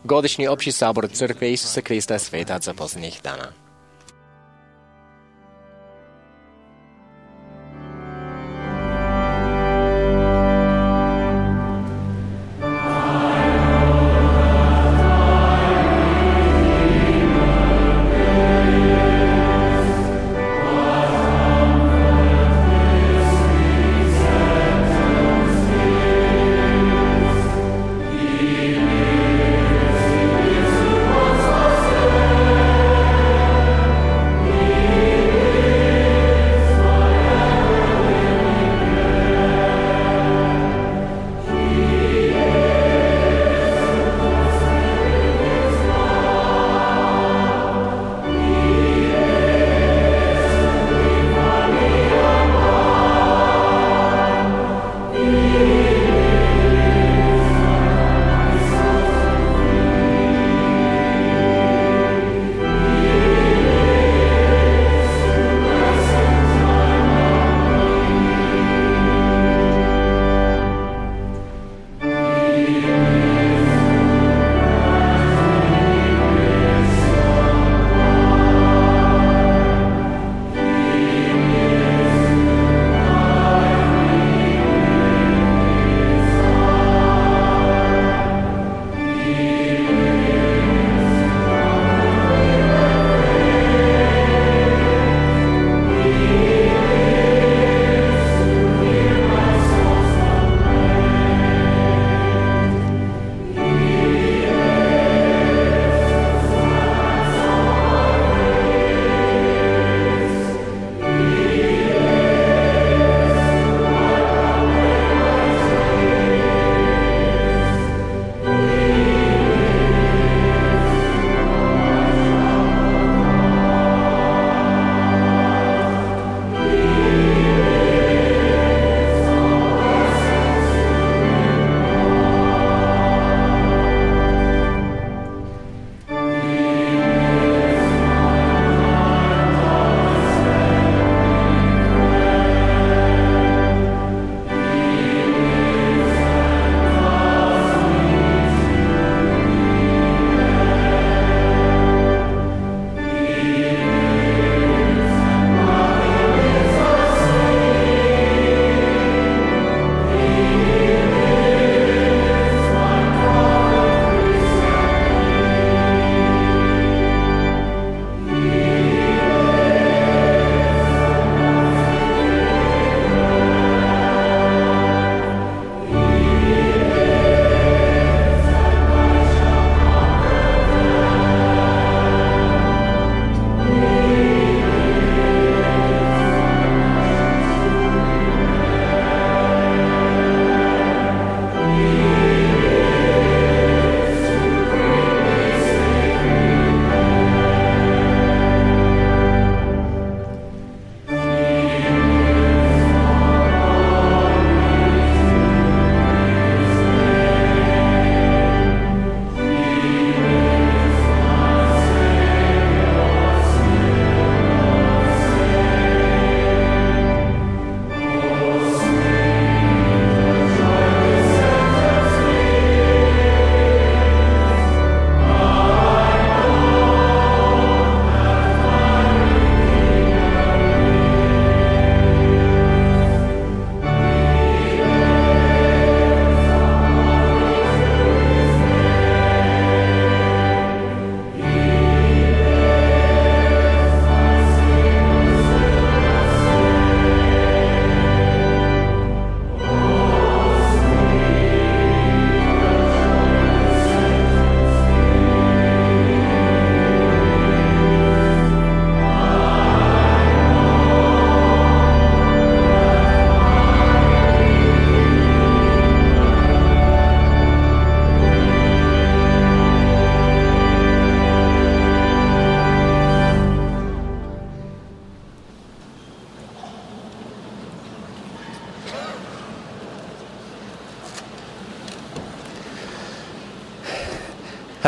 godišnji opći sabor Crkve Isusa Krista svetaca posljednjih dana. Thank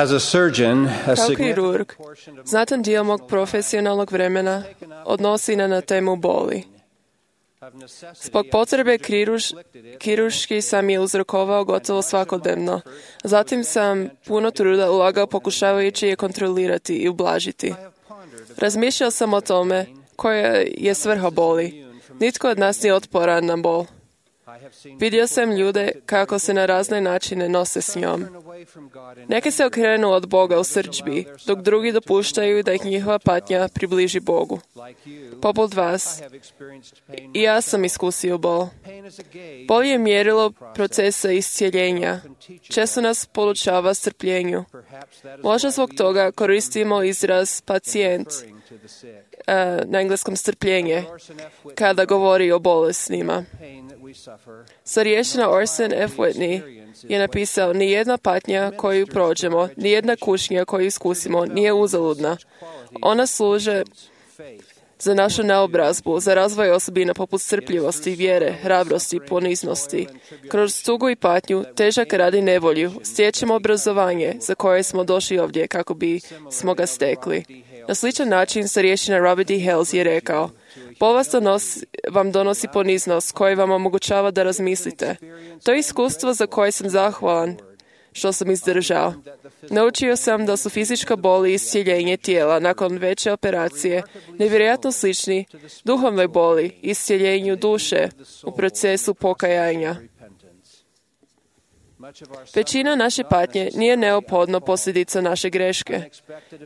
As a surgeon, a Kao kirurg, znatan dio mog profesionalnog vremena odnosi na, na temu boli. Zbog potrebe kiruš, kiruški sam je uzrokovao gotovo svakodnevno. Zatim sam puno truda ulagao pokušavajući je kontrolirati i ublažiti. Razmišljao sam o tome koja je svrha boli. Nitko od nas nije otporan na bol. Vidio sam ljude kako se na razne načine nose s njom. Neki se okrenu od Boga u srdžbi, dok drugi dopuštaju da ih njihova patnja približi Bogu. Poput vas, i ja sam iskusio bol. Bol je mjerilo procesa iscijeljenja. Često nas poučava strpljenju. Možda zbog toga koristimo izraz pacijent, na engleskom strpljenje, kada govori o bolesnima. Starješina Orson F. Whitney je napisao: nijedna patnja koju prođemo, nijedna kušnja koju iskusimo nije uzaludna. Ona služe za našu naobrazbu, za razvoj osobina poput strpljivosti, vjere, hrabrosti, poniznosti. Kroz tugu i patnju, težak rad i nevolju, stječemo obrazovanje za koje smo došli ovdje kako bi smo ga stekli. Na sličan način starješina Robert D. Hales je rekao: bol vas donosi, vam donosi poniznost koji vam omogućava da razmislite. To je iskustvo za koje sam zahvalan što sam izdržao. Naučio sam da su fizička bol i iscijeljenje tijela nakon veće operacije nevjerojatno slični duhovnoj boli i iscijeljenju duše u procesu pokajanja. Većina naše patnje nije neophodno posljedica naše greške.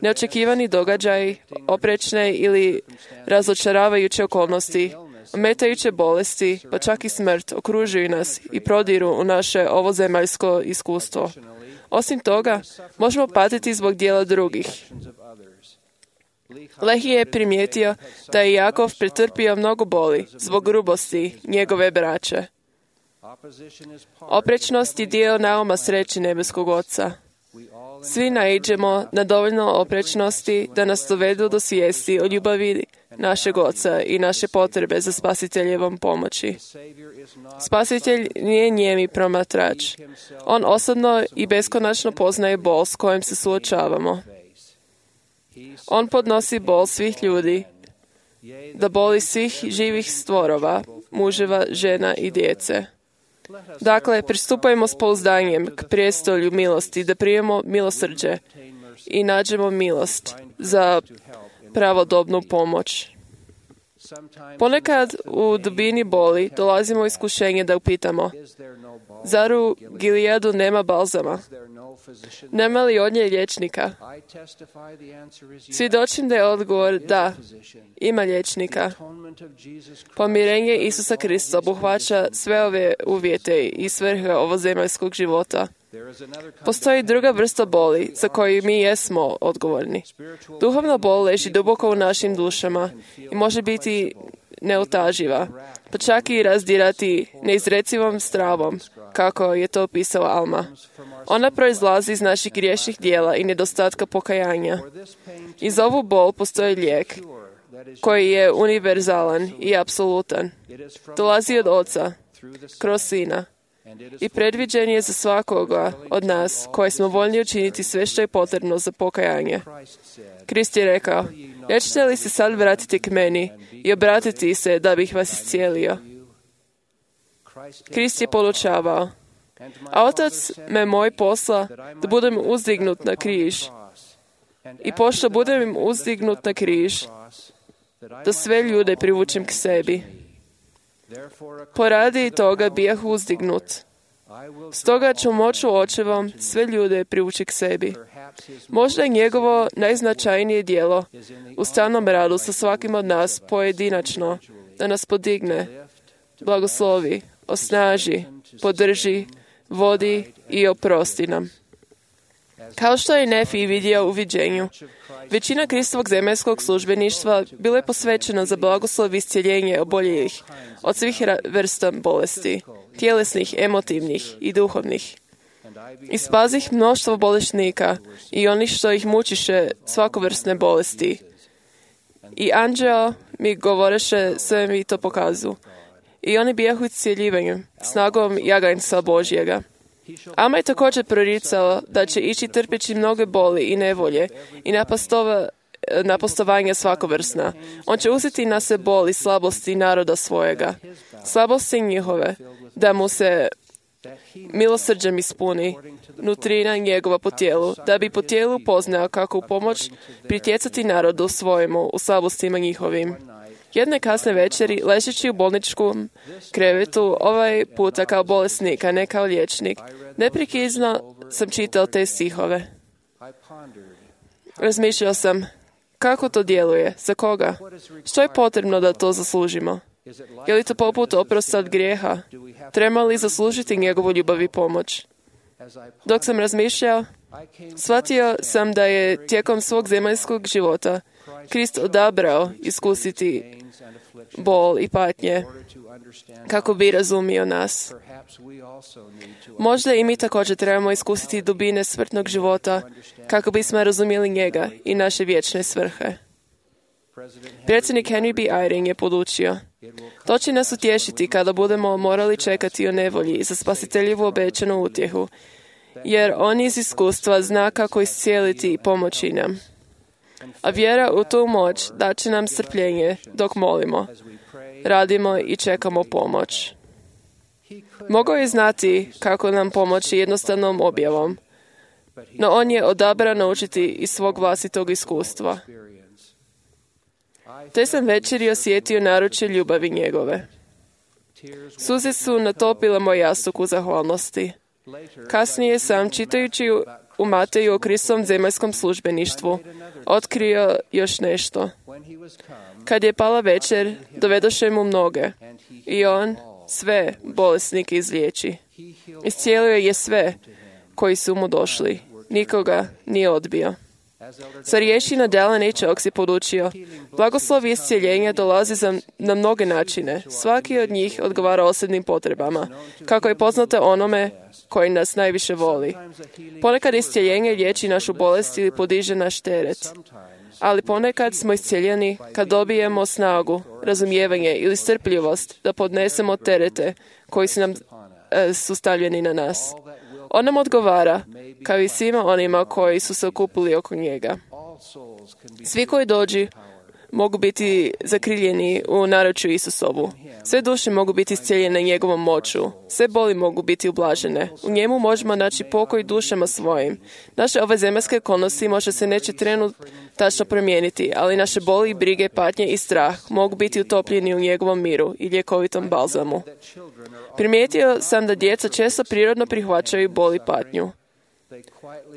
Neočekivani događaji, oprečne ili razočaravajuće okolnosti, ometajuće bolesti, pa čak i smrt okružuju nas i prodiru u naše ovozemaljsko iskustvo. Osim toga, možemo patiti zbog dijela drugih. Lehi je primijetio da je Jakov pretrpio mnogo boli zbog grubosti njegove braće. Oprečnost je dio nauma sreći nebeskog Oca. Svi naiđemo na dovoljno oprečnosti da nas dovedu do svijesti o ljubavi našeg Oca i naše potrebe za spasiteljevom pomoći. Spasitelj nije nijemi promatrač. On osobno i beskonačno poznaje bol s kojim se suočavamo. On podnosi bol svih ljudi, da boli svih živih stvorova, muževa, žena i djece. Dakle, pristupajmo s pouzdanjem k prijestolju milosti, da primimo milosrđe i nađemo milost za pravodobnu pomoć. Ponekad u dubini boli dolazimo u iskušenje da upitamo: zar u Gileadu nema balzama? Nema li od nje liječnika? Svjedočim da je odgovor da, ima liječnika. Pomirenje Isusa Krista obuhvaća sve ove uvjete i svrhe ovozemaljskog života. Postoji druga vrsta boli za koju mi jesmo odgovorni. Duhovna bol leži duboko u našim dušama i može biti neutaživa, pa čak i razdirati neizrecivom stravom, kako je to opisao Alma. Ona proizlazi iz naših griješnih dijela i nedostatka pokajanja. I za ovu bol postoji lijek koji je univerzalan i apsolutan. Dolazi od Oca, kroz Sina, i predviđen je za svakoga od nas koji smo voljni učiniti sve što je potrebno za pokajanje. Krist je rekao: nećete li se sad vratiti k meni i obratiti se da bih vas iscijelio? Krist je podučavao: a Otac me moj posla da budem uzdignut na križ. I pošto budem uzdignut na križ, da sve ljude privučem k sebi. Poradi toga bijah uzdignut. Stoga ću moću Očevom sve ljude privući k sebi. Možda je njegovo najznačajnije djelo u stalnom radu sa svakim od nas pojedinačno, da nas podigne, blagoslovi, osnaži, podrži, vodi i oprosti nam. Kao što je Nefi vidio u viđenju, većina Kristovog zemaljskog službeništva bilo je posvećeno za blagoslov i iscijeljenje oboljelih od svih vrsta bolesti, tjelesnih, emotivnih i duhovnih. I spazih mnoštvo bolesnika i onih što ih mučiše svakovrsne bolesti. I anđeo mi govoreše, sve mi to pokazu. I oni bijahu iscjeljivanjem, snagom jaganjca Božjega. Ama je također proricao da će ići trpeći mnoge boli i nevolje i napastova, napastovanja svakovrsna. On će uzeti na se bol i slabosti naroda svojega, slabosti njihove, da mu se milosrđem ispuni nutrina njegova po tijelu, da bi po tijelu poznao kako u pomoć pritjecati narodu svojemu u slabostima njihovim. Jedne kasne večeri, ležeći u bolničkom krevetu, ovaj puta kao bolesnik, a ne kao liječnik, neprekidno sam čitao te stihove. Razmišljao sam, kako to djeluje, za koga, što je potrebno da to zaslužimo. Je li to poput oprosta od grijeha? Treba li zaslužiti njegovu ljubav i pomoć? Dok sam razmišljao, shvatio sam da je tijekom svog zemaljskog života Krist odabrao iskusiti bol i patnje kako bi razumio nas. Možda i mi također trebamo iskusiti dubine smrtnog života kako bismo razumjeli njega i naše vječne svrhe. Predsjednik Henry B. Eyring je podučio: to će nas utješiti kada budemo morali čekati o nevolji za spasiteljevu obećanu utjehu, jer on iz iskustva zna kako iscijeliti i pomoći nam. A vjera u tu moć daće nam strpljenje dok molimo, radimo i čekamo pomoć. Mogao je znati kako nam pomoći jednostavnom objavom, no on je odabrao naučiti iz svog vlastitog iskustva. Te sam večeri osjetio naručje ljubavi njegove. Suze su natopile moj jastuk u zahvalnosti. Kasnije sam, čitajući u Mateju o Kristovom zemaljskom službeništvu, otkrio još nešto. Kad je pala večer, dovedoše mu mnoge i on sve bolesnike izliječi. Iscijelio je sve koji su mu došli. Nikoga nije odbio. Starješina Dallin H. Oaks je podučio: blagoslov i iscijeljenja dolazi za, na mnoge načine. Svaki od njih odgovara osobnim potrebama, kako je poznato onome koji nas najviše voli. Ponekad iscijeljenje liječi našu bolest ili podiže naš teret. Ali ponekad smo iscijeljeni kad dobijemo snagu, razumijevanje ili strpljivost da podnesemo terete koji su nam e, su stavljeni na nas. On nam odgovara, kao i svima onima koji su se okupili oko njega. Svi koji dođu mogu biti zakriljeni u naručju Isusovu. Sve duše mogu biti iscijeljene njegovom moću. Sve boli mogu biti ublažene. U njemu možemo naći pokoj dušama svojim. Naše ove zemaljske okolnosti možda se neće trenutačno promijeniti, ali naše boli, brige, patnje i strah mogu biti utopljeni u njegovom miru i ljekovitom balzamu. Primijetio sam da djeca često prirodno prihvaćaju bol i patnju.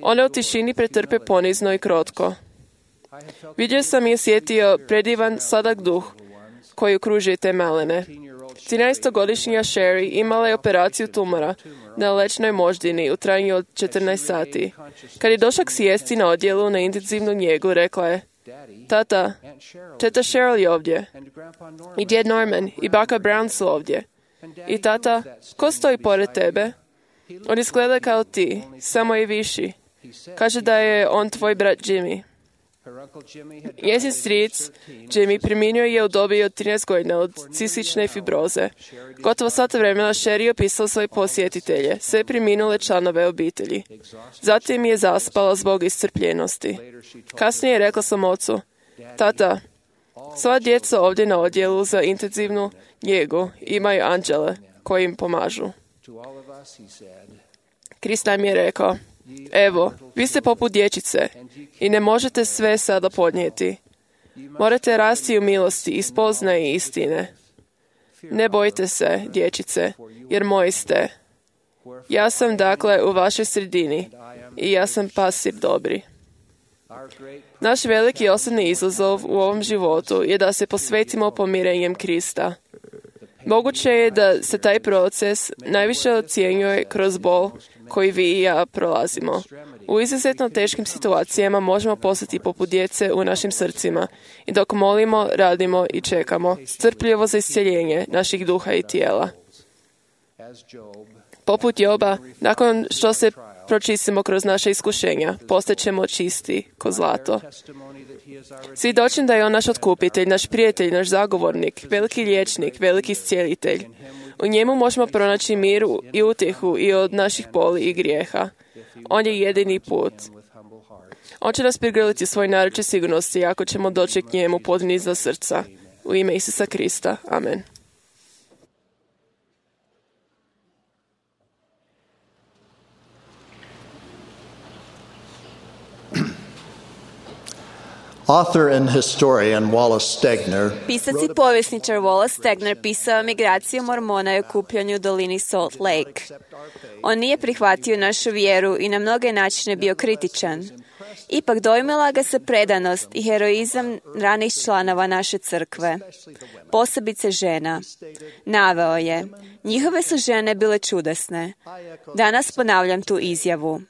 One u tišini pretrpe ponizno i krotko. Vidio sam i osjetio predivan sladak duh koji okružuje te malene. trinaestogodišnja Sherry imala je operaciju tumora na lečnoj moždini u trajanju od četrnaest sati. Kad je došla k sjesti na odjelu na intenzivnu njegu, rekla je: tata, teta Cheryl je ovdje. I djed Norman i baka Brown su ovdje. I tata, ko stoji pored tebe? On izgleda kao ti, samo je viši. Kaže da je on tvoj brat Jimmy. Njezin stric Jimmy preminuo je u dobi od trinaest godina od cistične fibroze. Gotovo sat vremena Sherry je opisala svoje posjetitelje, sve preminule članove obitelji. Zatim je zaspala zbog iscrpljenosti. Kasnije je rekla svom ocu: tata, sva djeca ovdje na odjelu za intenzivnu njegu imaju anđele koji im pomažu. Krist nam je rekao: evo, vi ste poput dječice i ne možete sve sada podnijeti. Morate rasti u milosti i spoznaji istine. Ne bojte se, dječice, jer moji ste. Ja sam dakle u vašoj sredini i ja sam pastir dobri. Naš veliki osobni izazov u ovom životu je da se posvetimo pomirenjem Krista. Moguće je da se taj proces najviše ocjenjuje kroz bol koji vi i ja prolazimo. U izuzetno teškim situacijama možemo postati poput djece u našim srcima i dok molimo, radimo i čekamo strpljivo za iscjeljenje naših duha i tijela. Poput Joba, nakon što se pročistimo kroz naše iskušenja, postaćemo čisti ko zlato. Svjedočim da je on naš otkupitelj, naš prijatelj, naš zagovornik, veliki liječnik, veliki iscijelitelj. U njemu možemo pronaći mir i utjehu i od naših boli i grijeha. On je jedini put. On će nas prigrliti svoj naruče sigurnosti ako ćemo doći k njemu podni za srca. U ime Isusa Krista. Amen. Author and historian Wallace Stegner Pisac i povjesničar Wallace Stegner pisao migraciju Mormona i okupljanju u dolini Salt Lake. On nije prihvatio našu vjeru i na mnoge načine bio kritičan. Ipak dojmila ga se predanost i heroizam ranih članova naše crkve, posebice žena. Naveo je, njihove su žene bile čudesne. Danas ponavljam tu izjavu.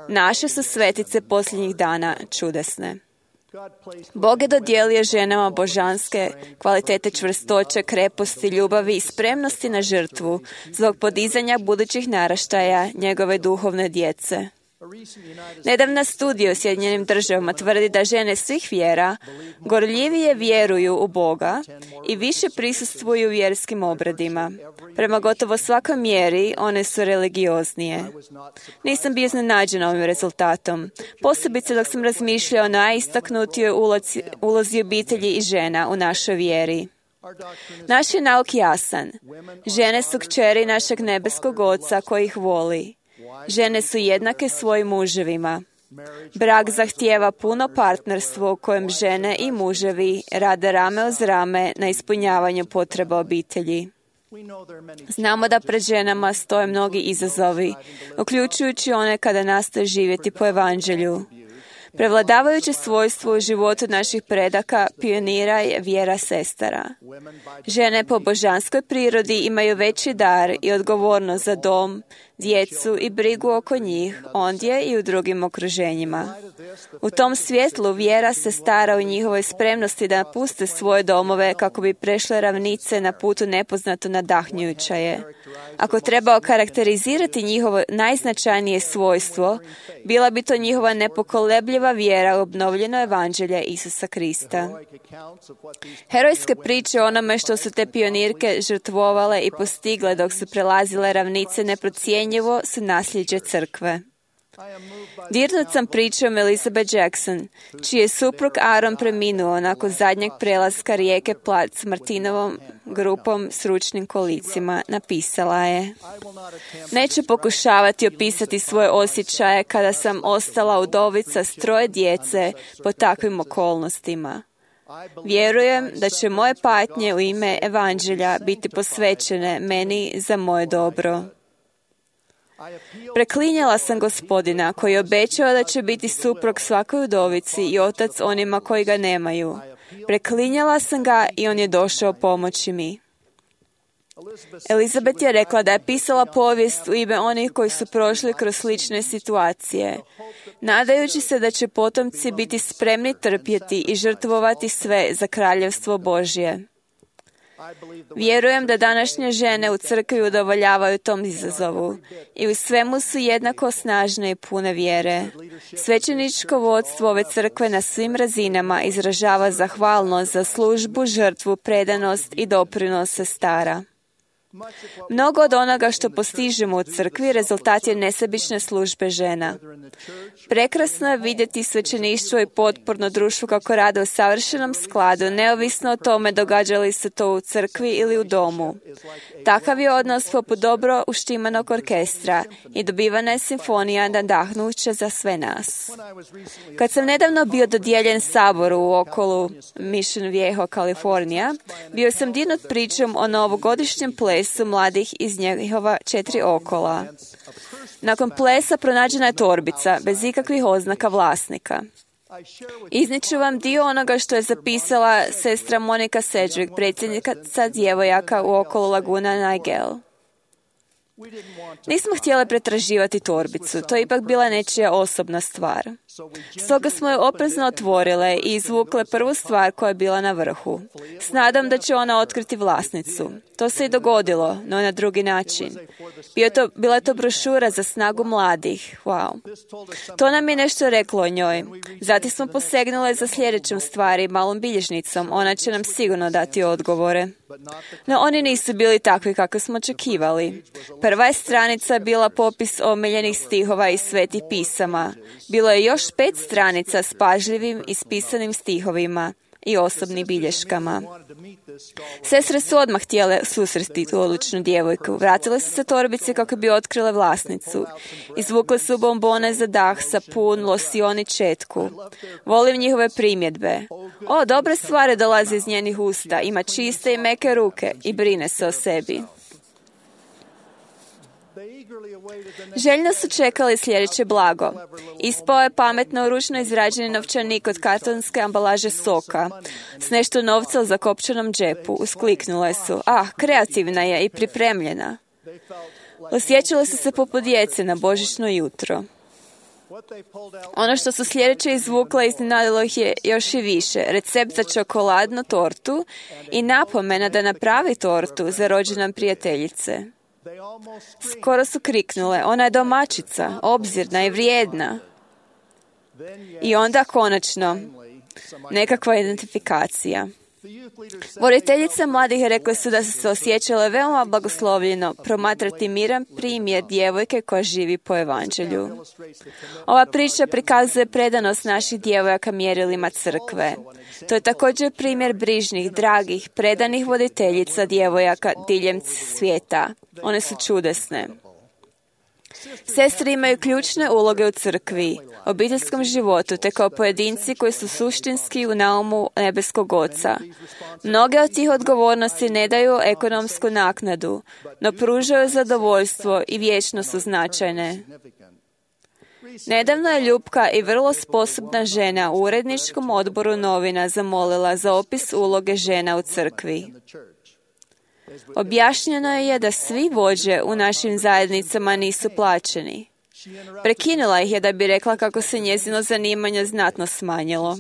Naše su svetice posljednjih dana čudesne. Bog je dodijelio ženama božanske kvalitete čvrstoće, kreposti, ljubavi i spremnosti na žrtvu zbog podizanja budućih naraštaja njegove duhovne djece. Nedavna studija u Sjedinjenim državama tvrdi da žene svih vjera gorljivije vjeruju u Boga i više prisustvuju vjerskim obredima. Prema gotovo svakoj mjeri one su religioznije. Nisam bio iznenađena ovim rezultatom, posebice dok sam razmišljao o najistaknutijoj ulozi, ulozi obitelji i žena u našoj vjeri. Naš je nauk jasan. Žene su kćeri našeg nebeskog Oca koji ih voli. Žene su jednake svojim muževima. Brak zahtijeva puno partnerstvo u kojem žene i muževi rade rame uz rame na ispunjavanju potreba obitelji. Znamo da pred ženama stoje mnogi izazovi, uključujući one kada nastoje živjeti po evanđelju. Prevladavajuće svojstvo u životu naših predaka, pionira je vjera sestara. Žene po božanskoj prirodi imaju veći dar i odgovornost za dom, djecu i brigu oko njih, ondje i u drugim okruženjima. U tom svjetlu vjera se stara u njihovoj spremnosti da napuste svoje domove kako bi prešle ravnice na putu nepoznato nadahnjujuća je. Ako treba okarakterizirati njihovo najznačajnije svojstvo, bila bi to njihova nepokolebljiva vjera u obnovljeno evanđelje Isusa Krista. Herojske priče o onome što su te pionirke žrtvovale i postigle dok su prelazile ravnice neprocjenjivo su nasljeđe crkve. Dirnut sam pričom Elizabeth Jackson, čiji je suprug Aaron preminuo nakon zadnjeg prelaska rijeke Platte s Martinovom grupom s ručnim kolicima. Napisala je: neću pokušavati opisati svoje osjećaje kada sam ostala udovica s troje djece po takvim okolnostima. Vjerujem da će moje patnje u ime evanđelja biti posvećene meni za moje dobro. Preklinjala sam Gospodina koji je obećao da će biti suprug svakoj udovici i otac onima koji ga nemaju. Preklinjala sam ga i on je došao pomoći mi. Elizabeth je rekla da je pisala povijest u ime onih koji su prošli kroz slične situacije, nadajući se da će potomci biti spremni trpjeti i žrtvovati sve za kraljevstvo Božje. Vjerujem da današnje žene u crkvi udovoljavaju tom izazovu i u svemu su jednako snažne i pune vjere. Svećeničko vodstvo ove crkve na svim razinama izražava zahvalnost za službu, žrtvu, predanost i doprinos sestara. Mnogo od onoga što postižemo u crkvi rezultat je nesebične službe žena. Prekrasno je vidjeti svećeništvo i potporno društvo kako rade u savršenom skladu, neovisno o tome događa li se to u crkvi ili u domu. Takav je odnos poput dobro uštimanog orkestra i dobivana je simfonija nadahnuća za sve nas. Kad sam nedavno bio dodijeljen saboru u okolu Mission Viejo, Kalifornija, bio sam dirnut pričom o novogodišnjem plesu su mladih iz njihova četiri okola. Nakon plesa pronađena je torbica, bez ikakvih oznaka vlasnika. Izniču vam dio onoga što je zapisala sestra Monika Sedgwick, predsjednica djevojaka u okolo laguna Nigel. Nismo htjeli pretraživati torbicu, to je ipak bila nečija osobna stvar. Stoga smo je oprezno otvorile i izvukle prvu stvar koja je bila na vrhu. S nadom da će ona otkriti vlasnicu. To se i dogodilo, no na drugi način. Bio to, bila je to brošura za snagu mladih. Wow. To nam je nešto reklo o njoj. Zatim smo posegnule za sljedećom stvari, malom bilježnicom. Ona će nam sigurno dati odgovore. No oni nisu bili takvi kako smo očekivali. Prva je stranica bila popis omiljenih stihova iz svetih pisama. Bilo je još pet stranica s pažljivim ispisanim stihovima i osobnim bilješkama. Sestre su odmah htjele susresti tu odlučnu djevojku. Vratile su se torbici kako bi otkrile vlasnicu. Izvukle su bombone za dah, sapun, losion i četku. Volim njihove primjedbe. O, dobre stvari dolaze iz njenih usta. Ima čiste i meke ruke i brine se o sebi. Željno su čekali sljedeće blago. Ispao je pametno ručno izrađeni novčanik od kartonske ambalaže soka s nešto novca u zakopčanom džepu. Uskliknule su. Ah, kreativna je i pripremljena. Osjećale su se poput djece na božićno jutro. Ono što su sljedeće izvukle iznenadilo ih je još i više. Recept za čokoladnu tortu i napomena da napravi tortu za rođendan prijateljice. Skoro su kriknule, ona je domaćica, obzirna i vrijedna. I onda konačno, nekakva identifikacija. Voditeljice mladih rekle su da su se osjećale veoma blagoslovljeno promatrati miran primjer djevojke koja živi po evanđelju. Ova priča prikazuje predanost naših djevojaka mjerilima crkve. To je također primjer brižnih, dragih, predanih voditeljica djevojaka diljem svijeta. One su čudesne. Sestre imaju ključne uloge u crkvi, obiteljskom životu, te kao pojedinci koji su suštinski u naumu nebeskog Oca. Mnoge od tih odgovornosti ne daju ekonomsku naknadu, no pružaju zadovoljstvo i vječno su značajne. Nedavno je ljubka i vrlo sposobna žena u uredničkom odboru novina zamolila za opis uloge žena u crkvi. Objašnjeno je da svi vođe u našim zajednicama nisu plaćeni. Prekinula ih je da bi rekla kako se njezino zanimanje znatno smanjilo.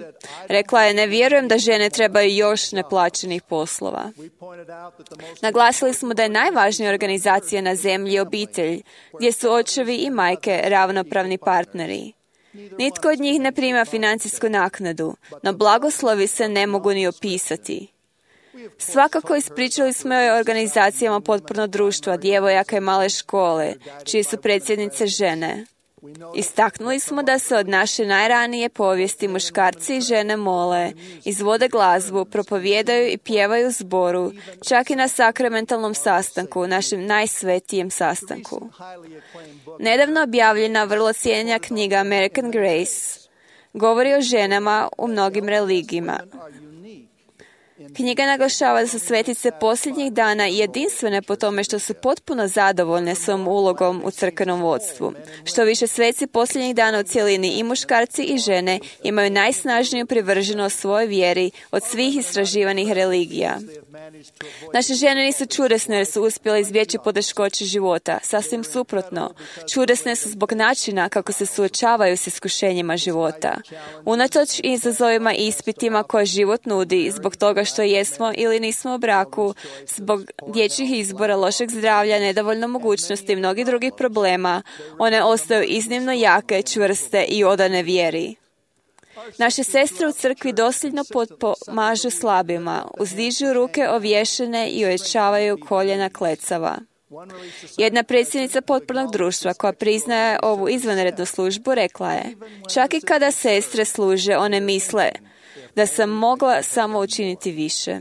Rekla je, ne vjerujem da žene trebaju još neplaćenih poslova. Naglasili smo da je najvažnija organizacija na zemlji obitelj, gdje su očevi i majke ravnopravni partneri. Nitko od njih ne prima financijsku naknadu, no blagoslovi se ne mogu ni opisati. Svakako ispričali smo o organizacijama potpornog društva, djevojaka i male škole, čije su predsjednice žene. Istaknuli smo da se od naše najranije povijesti muškarci i žene mole, izvode glazbu, propovijedaju i pjevaju zboru, čak i na sakramentalnom sastanku, našem najsvetijem sastanku. Nedavno objavljena vrlo cijenjena knjiga American Grace govori o ženama u mnogim religijama. Knjiga naglašava da su svetice posljednjih dana jedinstvene po tome što su potpuno zadovoljne svojom ulogom u crkvenom vodstvu. Što više, sveci posljednjih dana u cjelini i muškarci i žene imaju najsnažniju privrženost svojoj vjeri od svih istraživanih religija. Naše žene nisu čudesne jer su uspjele izbjeći poteškoće života. Sasvim suprotno, čudesne su zbog načina kako se suočavaju s iskušenjima života. Unatoč izazovima i ispitima koje život nudi, zbog toga što jesmo ili nismo u braku, zbog dječjih izbora, lošeg zdravlja, nedovoljno mogućnosti i mnogih drugih problema, one ostaju iznimno jake, čvrste i odane vjeri. Naše sestre u crkvi dosljedno pomažu slabima, uzdižu ruke ovješene i ojačavaju koljena klecava. Jedna predsjednica potpornog društva koja priznaje ovu izvanrednu službu rekla je, čak i kada sestre služe, one misle da sam mogla samo učiniti više.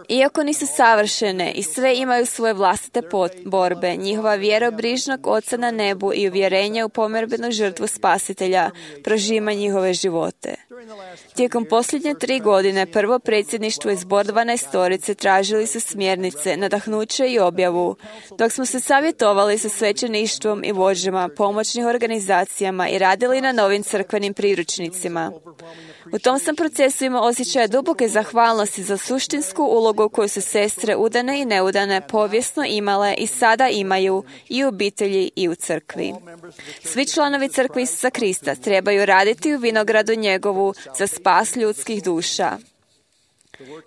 Iako nisu savršene i sve imaju svoje vlastite borbe, njihova vjera u brižnog Oca na nebu i uvjerenje u pomirbenu žrtvu Spasitelja prožima njihove živote. Tijekom posljednje tri godine prvo predsjedništvo iz Bor dvanaestorice tražili su smjernice, nadahnuće i objavu, dok smo se savjetovali sa svećeništvom i vođama, pomoćnih organizacijama i radili na novim crkvenim priručnicima. U tom sam procesu imao osjećaj duboke zahvalnosti za sučešće suštinsku ulogu koju su sestre udane i neudane povijesno imale i sada imaju i u obitelji i u crkvi. Svi članovi crkve Isusa Krista trebaju raditi u vinogradu njegovu za spas ljudskih duša.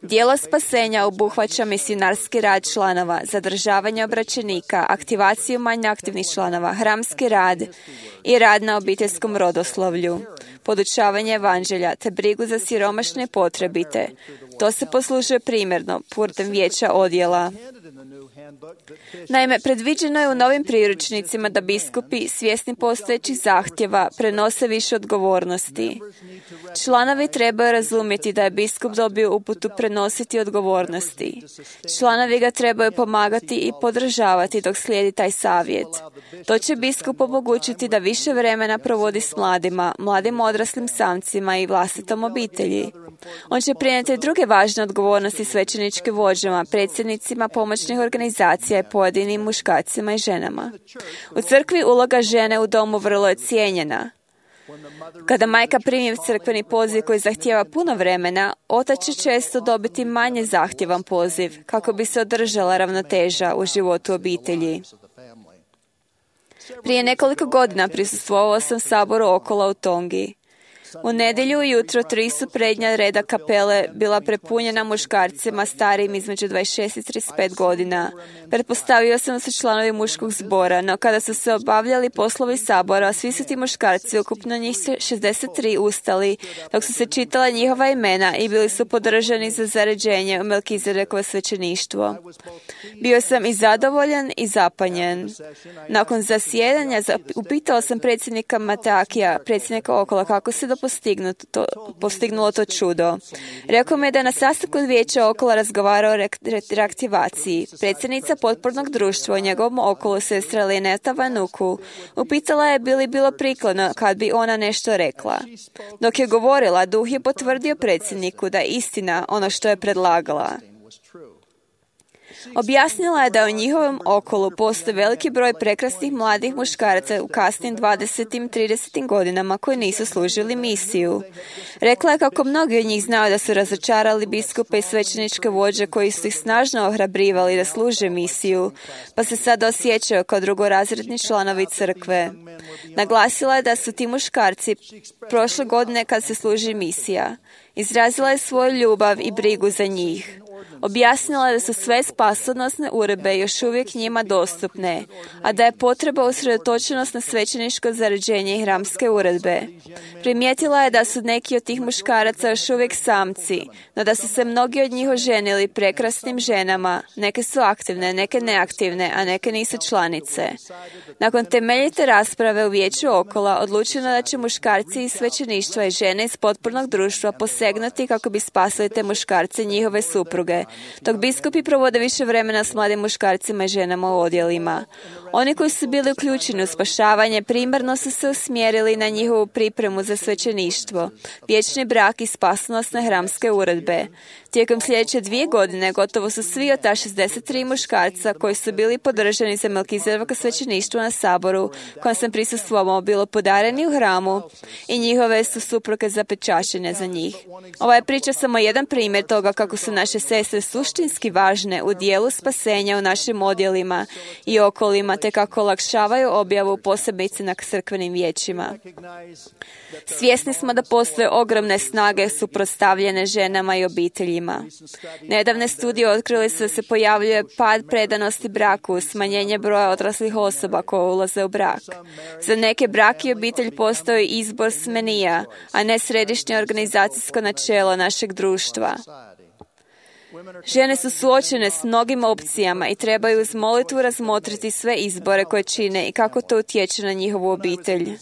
Dijelo spasenja obuhvaća misionarski rad članova, zadržavanje obraćenika, aktivaciju manje aktivnih članova, hramski rad i rad na obiteljskom rodoslovlju, podučavanje evanđelja te brigu za siromašne i potrebite. To se poslužuje primjerno putem vijeća odjela. Naime, predviđeno je u novim priručnicima da biskupi, svjesni postojećih zahtjeva, prenose više odgovornosti. Članovi trebaju razumjeti da je biskup dobio uputu prenositi odgovornosti. Članovi ga trebaju pomagati i podržavati dok slijedi taj savjet. To će biskup omogućiti da više vremena provodi s mladima, mladim odraslim samcima i vlastitom obitelji. On će prenijeti druge važne odgovornosti svećeničkim vođama, predsjednicima pomoćnih organizacija i pojedinim muškarcima i ženama. U crkvi uloga žene u domu vrlo je cijenjena. Kada majka primi crkveni poziv koji zahtijeva puno vremena, otac će često dobiti manje zahtjevan poziv kako bi se održala ravnoteža u životu obitelji. Prije nekoliko godina prisustvovao sam saboru Okola u Tongi. U nedjelju ujutro tri su prednja reda kapele bila prepunjena muškarcima starijim između dvadeset šest i trideset pet godina. Pretpostavio sam da su članovi muškog zbora, no kada su se obavljali poslovi sabora, svi su ti muškarci, ukupno njih šezdeset tri, ustali, dok su se čitala njihova imena i bili su podržani za zaređenje u Melkizedekovo svećeništvo. Bio sam i zadovoljan i zapanjen. Nakon zasjedanja upitao sam predsjednika Matakija, predsjednika Okola, kako se do To, postignulo to čudo. Rekao mi je da je na sastanku vijeća Okola razgovarao o re, re, reaktivaciji. Predsjednica potpornog društva u njegovom Okolu, sestra Lineta Vanuku, upitala je bi li bilo prikladno kad bi ona nešto rekla. Dok je govorila, duh je potvrdio predsjedniku da je istina ono što je predlagala. Objasnila je da u njihovom okolu postoji veliki broj prekrasnih mladih muškaraca u kasnim dvadesetim i tridesetim godinama koji nisu služili misiju. Rekla je kako mnogi od njih znaju da su razočarali biskupe i svećeničke vođe koji su ih snažno ohrabrivali da služe misiju, pa se sada osjećaju kao drugorazredni članovi crkve. Naglasila je da su ti muškarci prošle godine kad se služi misija. Izrazila je svoju ljubav i brigu za njih. Objasnila je da su sve spasonosne uredbe još uvijek njima dostupne, a da je potreba usredotočenost na svećeničko zaređenje i hramske uredbe. Primijetila je da su neki od tih muškaraca još uvijek samci, no da su se mnogi od njih oženili prekrasnim ženama, neke su aktivne, neke neaktivne, a neke nisu članice. Nakon temeljite rasprave u vijeću Okola odlučeno da će muškarci iz svećeništva i žene iz potpornog društva posegnuti kako bi spasili te muškarce i njihove supruge, dok biskupi provode više vremena s mladim muškarcima i ženama u odjelima. Oni koji su bili uključeni u spašavanje primarno su se usmjerili na njihovu pripremu za svećeništvo, vječni brak i spasonosne hramske uredbe. Tijekom sljedeće dvije godine gotovo su svi od ta šezdeset tri muškarca koji su bili podržani za Melkizedekovo svećeništvo na saboru kojem sam prisustvovao bilo podareni u hramu i njihove su supruge zapečaćene za njih. Ova je priča samo jedan primjer toga kako su naše sestre suštinski važne u dijelu spasenja u našim odjelima i okolima, te kako olakšavaju objavu posebice na crkvenim vijećima. Svjesni smo da postoje ogromne snage suprotstavljene ženama i obiteljima. Nedavne studije otkrili su da se pojavljuje pad predanosti braku, smanjenje broja odraslih osoba koje ulaze u brak. Za neke brak i obitelj postoji izbor smenija, a ne središnje organizacijsko načelo našeg društva. Žene su suočene s mnogim opcijama i trebaju uz molitvu razmotriti sve izbore koje čine i kako to utječe na njihovu obitelj.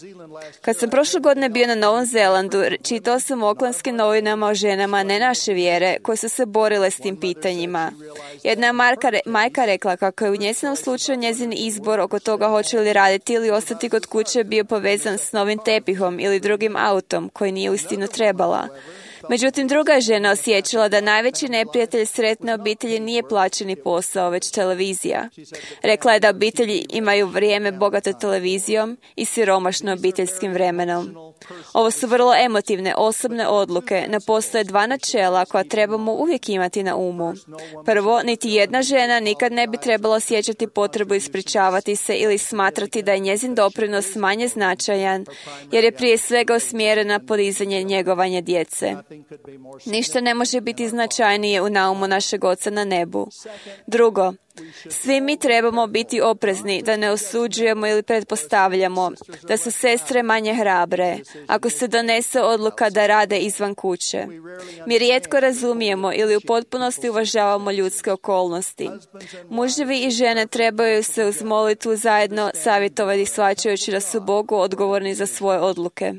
Kad sam prošle godine bio na Novom Zelandu, čitao sam u Aucklandskim novinama o ženama ne naše vjere koje su se borile s tim pitanjima. Jedna je Marka, majka rekla kako je u njezinom slučaju njezin izbor oko toga hoće li raditi ili ostati kod kuće bio povezan s novim tepihom ili drugim autom koji nije uistinu trebala. Međutim, druga je žena osjećala da najveći neprijatelj sretne obitelji nije plaćeni posao, već televizija. Rekla je da obitelji imaju vrijeme bogato televizijom i siromašno obiteljskim vremenom. Ovo su vrlo emotivne, osobne odluke, no postoje dva načela koja trebamo uvijek imati na umu. Prvo, niti jedna žena nikad ne bi trebala osjećati potrebu ispričavati se ili smatrati da je njezin doprinos manje značajan, jer je prije svega usmjerena podizanje i njegovanje djece. Ništa ne može biti značajnije u naumu našeg Oca na nebu. Drugo, svi mi trebamo biti oprezni da ne osuđujemo ili pretpostavljamo da su sestre manje hrabre ako se donese odluka da rade izvan kuće. Mi rijetko razumijemo ili u potpunosti uvažavamo ljudske okolnosti. Muževi i žene trebaju se uz molitvu zajedno savjetovati shvaćajući da su Bogu odgovorni za svoje odluke.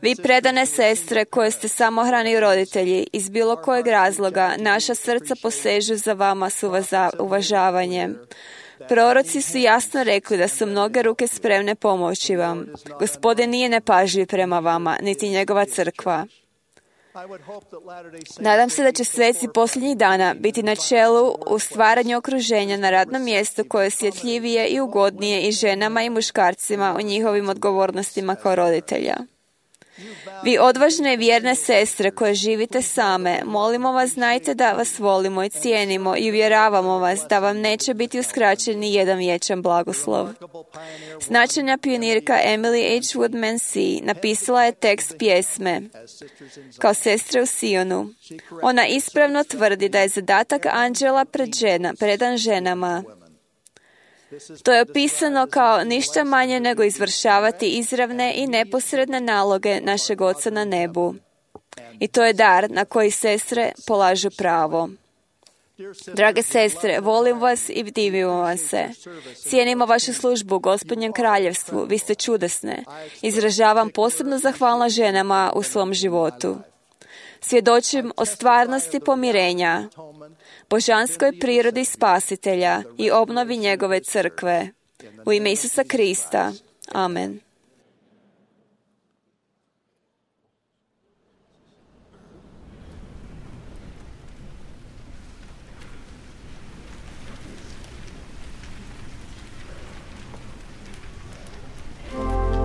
Vi predane sestre koje ste samohrani roditelji, iz bilo kojeg razloga naša srca posežu za vama s uvažavanjem. Proroci su jasno rekli da su mnoge ruke spremne pomoći vam. Gospodin nije nepažljiv prema vama, niti njegova crkva. Nadam se da će sveci posljednjih dana biti na čelu u stvaranju okruženja na radnom mjestu koje je osjetljivije i ugodnije i ženama i muškarcima u njihovim odgovornostima kao roditelja. Vi odvažne i vjerne sestre koje živite same, molimo vas, znajte da vas volimo i cijenimo i uvjeravamo vas da vam neće biti uskraćen ni jedan vječan blagoslov. Značajna pionirka Emily H. Woodman C. napisala je tekst pjesme Kao sestre u Sionu. Ona ispravno tvrdi da je zadatak anđela pred žena, predan ženama. To je opisano kao ništa manje nego izvršavati izravne i neposredne naloge našeg Oca na nebu. I to je dar na koji sestre polažu pravo. Drage sestre, volim vas i divimo vas se. Cijenimo vašu službu u Gospodnjem kraljevstvu. Vi ste čudesne. Izražavam posebno zahvalna ženama u svom životu. Svjedočim o stvarnosti pomirenja, božanskoj prirodi Spasitelja i obnovi njegove crkve. U ime Isusa Krista. Amen. Thank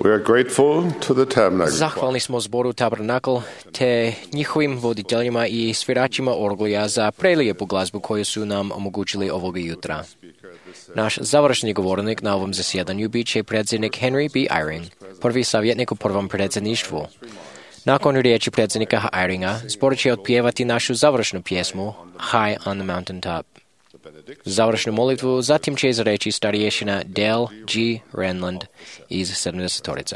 We are grateful to the Tabernacle Zahvalni smo zboru Tabernakl te njihovim voditeljima i sviračima orglija za prelijepu glazbu koju su nam omogućili ovoga jutra. Naš završni govornik na ovom zasjedanju bit će predsjednik Henry B. Eyring, prvi savjetnik u prvom predsjedništvu. Nakon riječi predsjednika Eyringa, zbor će otpjevati našu završnu pjesmu High on the Mountain Top. Završnu molitvu zatim će izreći starješina Dale G. Renland iz sedamdesetorice.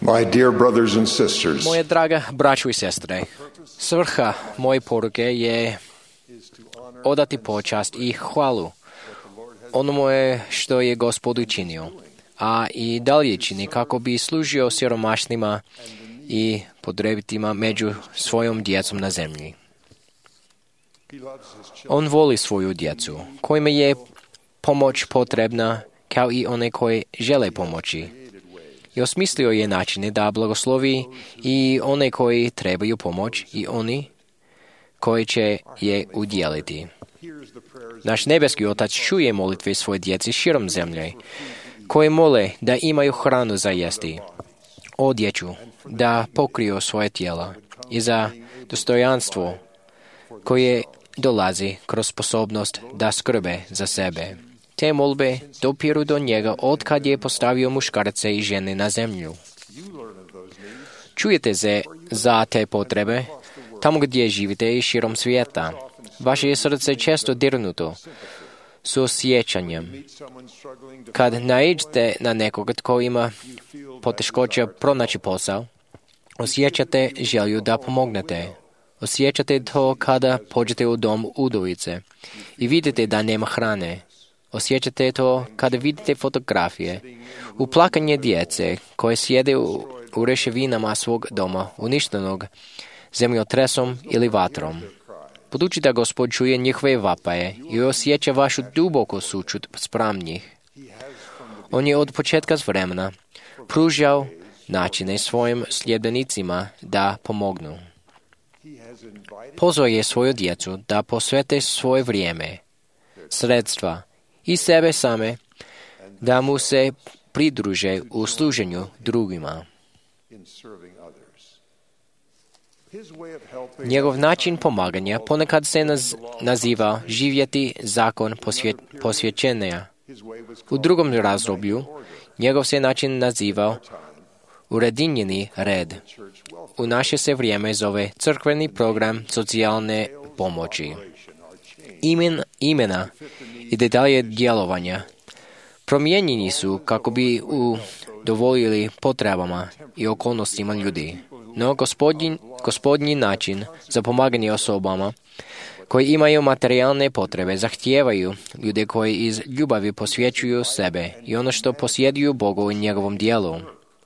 My dear brothers and sisters, Moje draga braćo i sestre, svrha moje poruke je odati počast i hvalu onome što je Gospod učinio, a i dalje čini kako bi služio siromašnima i potrebitima među svojom djecom na zemlji. On voli svoju djecu, kojima je pomoć potrebna kao i one koji žele pomoći. I osmislio je načine da blagoslovi i one koji trebaju pomoć i oni koji će je udjeliti. Naš nebeski Otac čuje molitve svoje djeci širom zemlje, koji mole da imaju hranu za jesti, odjeću, da pokriju svoje tijela i za dostojanstvo koje dolazi kroz sposobnost da skrbe za sebe. Te molbe dopiru do njega od kad je postavio muškarce i žene na zemlju. Čujete se za te potrebe tamo gdje živite i širom svijeta. Vaše je srce često dirnuto s osjećanjem. Kad naiđete na nekoga tko ima poteškoća pronaći posao, osjećate želju da pomognete. Osjećate to kada pođete u dom udovice i vidite da nema hrane. Osjećate to kada vidite fotografije, uplakanje djece koje sjede u, u reševinama svog doma, uništenog zemljotresom ili vatrom. Budući da Gospod čuje njihove vapaje i osjeća vašu duboku sućut spram njih. On je od početka vremena pružao načine svojim sljedbenicima da pomognu. Pozvao je svoju djecu da posvete svoje vrijeme, sredstva i sebe same da mu se pridruže u služenju drugima. Njegov način pomaganja ponekad se naz, naziva živjeti zakon posvje, posvjećenja. U drugom razdoblju njegov se način nazivao uredinjeni red. U naše se vrijeme zove crkveni program socijalne pomoći. Imen, imena i detalje djelovanja promijenjeni su kako bi udovoljili potrebama i okolnostima ljudi. No gospodin, gospodnji način za pomaganje osobama koji imaju materijalne potrebe zahtijevaju ljude koji iz ljubavi posvećuju sebe i ono što posjeduju Bogu i njegovom dijelu.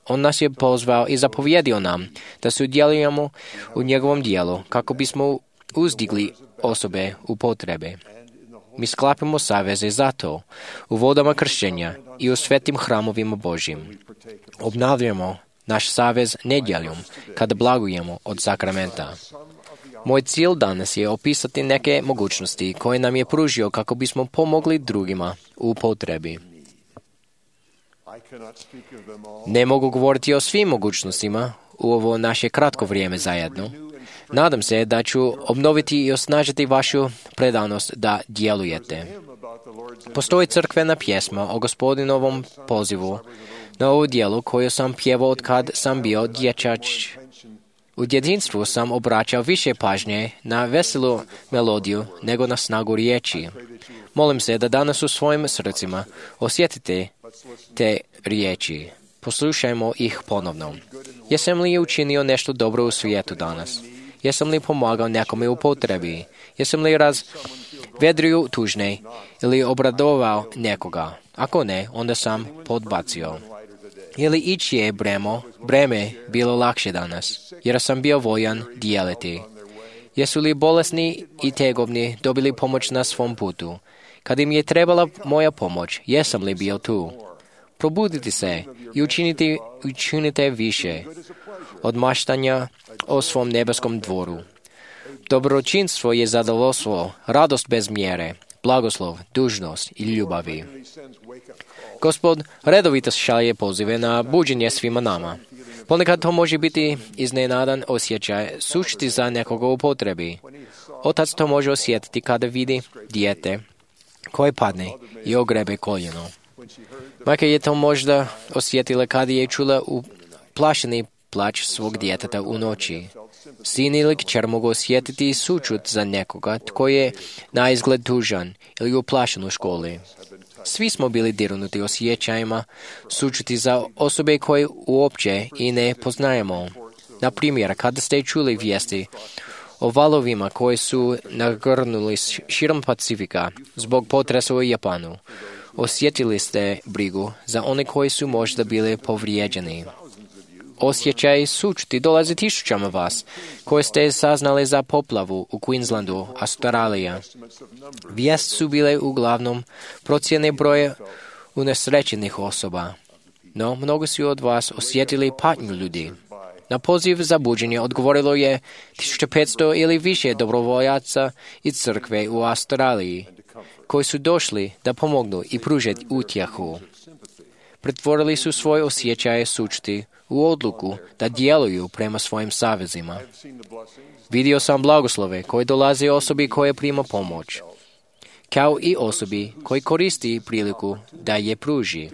On nas je pozvao i zapovjedio nam da sudjelujemo u njegovom dijelu kako bismo uzdigli osobe u potrebe. Mi sklapimo saveze za to u vodama kršćenja i u svetim hramovima Božjim. Obnavljamo naš savez nedjeljom kada blagujemo od sakramenta. Moj cilj danas je opisati neke mogućnosti koje nam je pružio kako bismo pomogli drugima u potrebi. Ne mogu govoriti o svim mogućnostima u ovo naše kratko vrijeme zajedno. Nadam se da ću obnoviti i osnažiti vašu predanost da djelujete. Postoji crkvena pjesma o Gospodinovom pozivu na ovu dijelu koju sam pjevao od kad sam bio dječač. U djetinjstvu sam obraćao više pažnje na veselu melodiju nego na snagu riječi. Molim se da danas u svojim srcima osjetite te riječi. Poslušajmo ih ponovno. Jesam li učinio nešto dobro u svijetu danas? Jesam li pomagao nekome u potrebi? Jesam li razvedrio tužne ili obradovao nekoga? Ako ne, onda sam podbacio. Je li ići je bremo, breme bilo lakše danas, jer sam bio voljan dijeliti? Jesu li bolesni i tegobni dobili pomoć na svom putu? Kad im je trebala moja pomoć, jesam li bio tu? Probudite se i učinite, učinite više od maštanja o svom nebeskom dvoru. Dobročinstvo je zadovoljstvo, radost bez mjere, blagoslov, dužnost i ljubavi. Gospod redovito šalje pozive na buđenje svima nama. Ponekad to može biti iznenadan osjećaj sušti za nekoga u potrebi. Otac to može osjetiti kada vidi dijete koje padne i ogrebe koljeno. Majka je to možda osjetila kada je čula uplašeni plač svog djeteta u noći. Sin ili kćer mogu osjetiti sućut za nekoga tko je na izgled tužan ili uplašen u školi. Svi smo bili dirnuti osjećajima sućuti za osobe koje uopće i ne poznajemo. Na primjer, kada ste čuli vijesti o valovima koji su nagrnuli širom Pacifika zbog potresa u Japanu, osjetili ste brigu za one koji su možda bili povrijeđeni. Osjećaj sućuti dolazi tisućama vas, koje ste saznali za poplavu u Queenslandu, Australija. Vijest su bile uglavnom procjene broja unesrećenih osoba, no mnogo su od vas osjetili patnju ljudi. Na poziv za buđenje odgovorilo je tisuću petsto ili više dobrovoljaca i crkve u Australiji, koji su došli da pomognu i pružiti utjehu. Pretvorili su svoje osjećaje sućuti u odluku da djeluju prema svojim savezima. Vidio sam blagoslove koje dolaze osobi koje prima pomoć, kao i osobi koji koristi priliku da je pruži.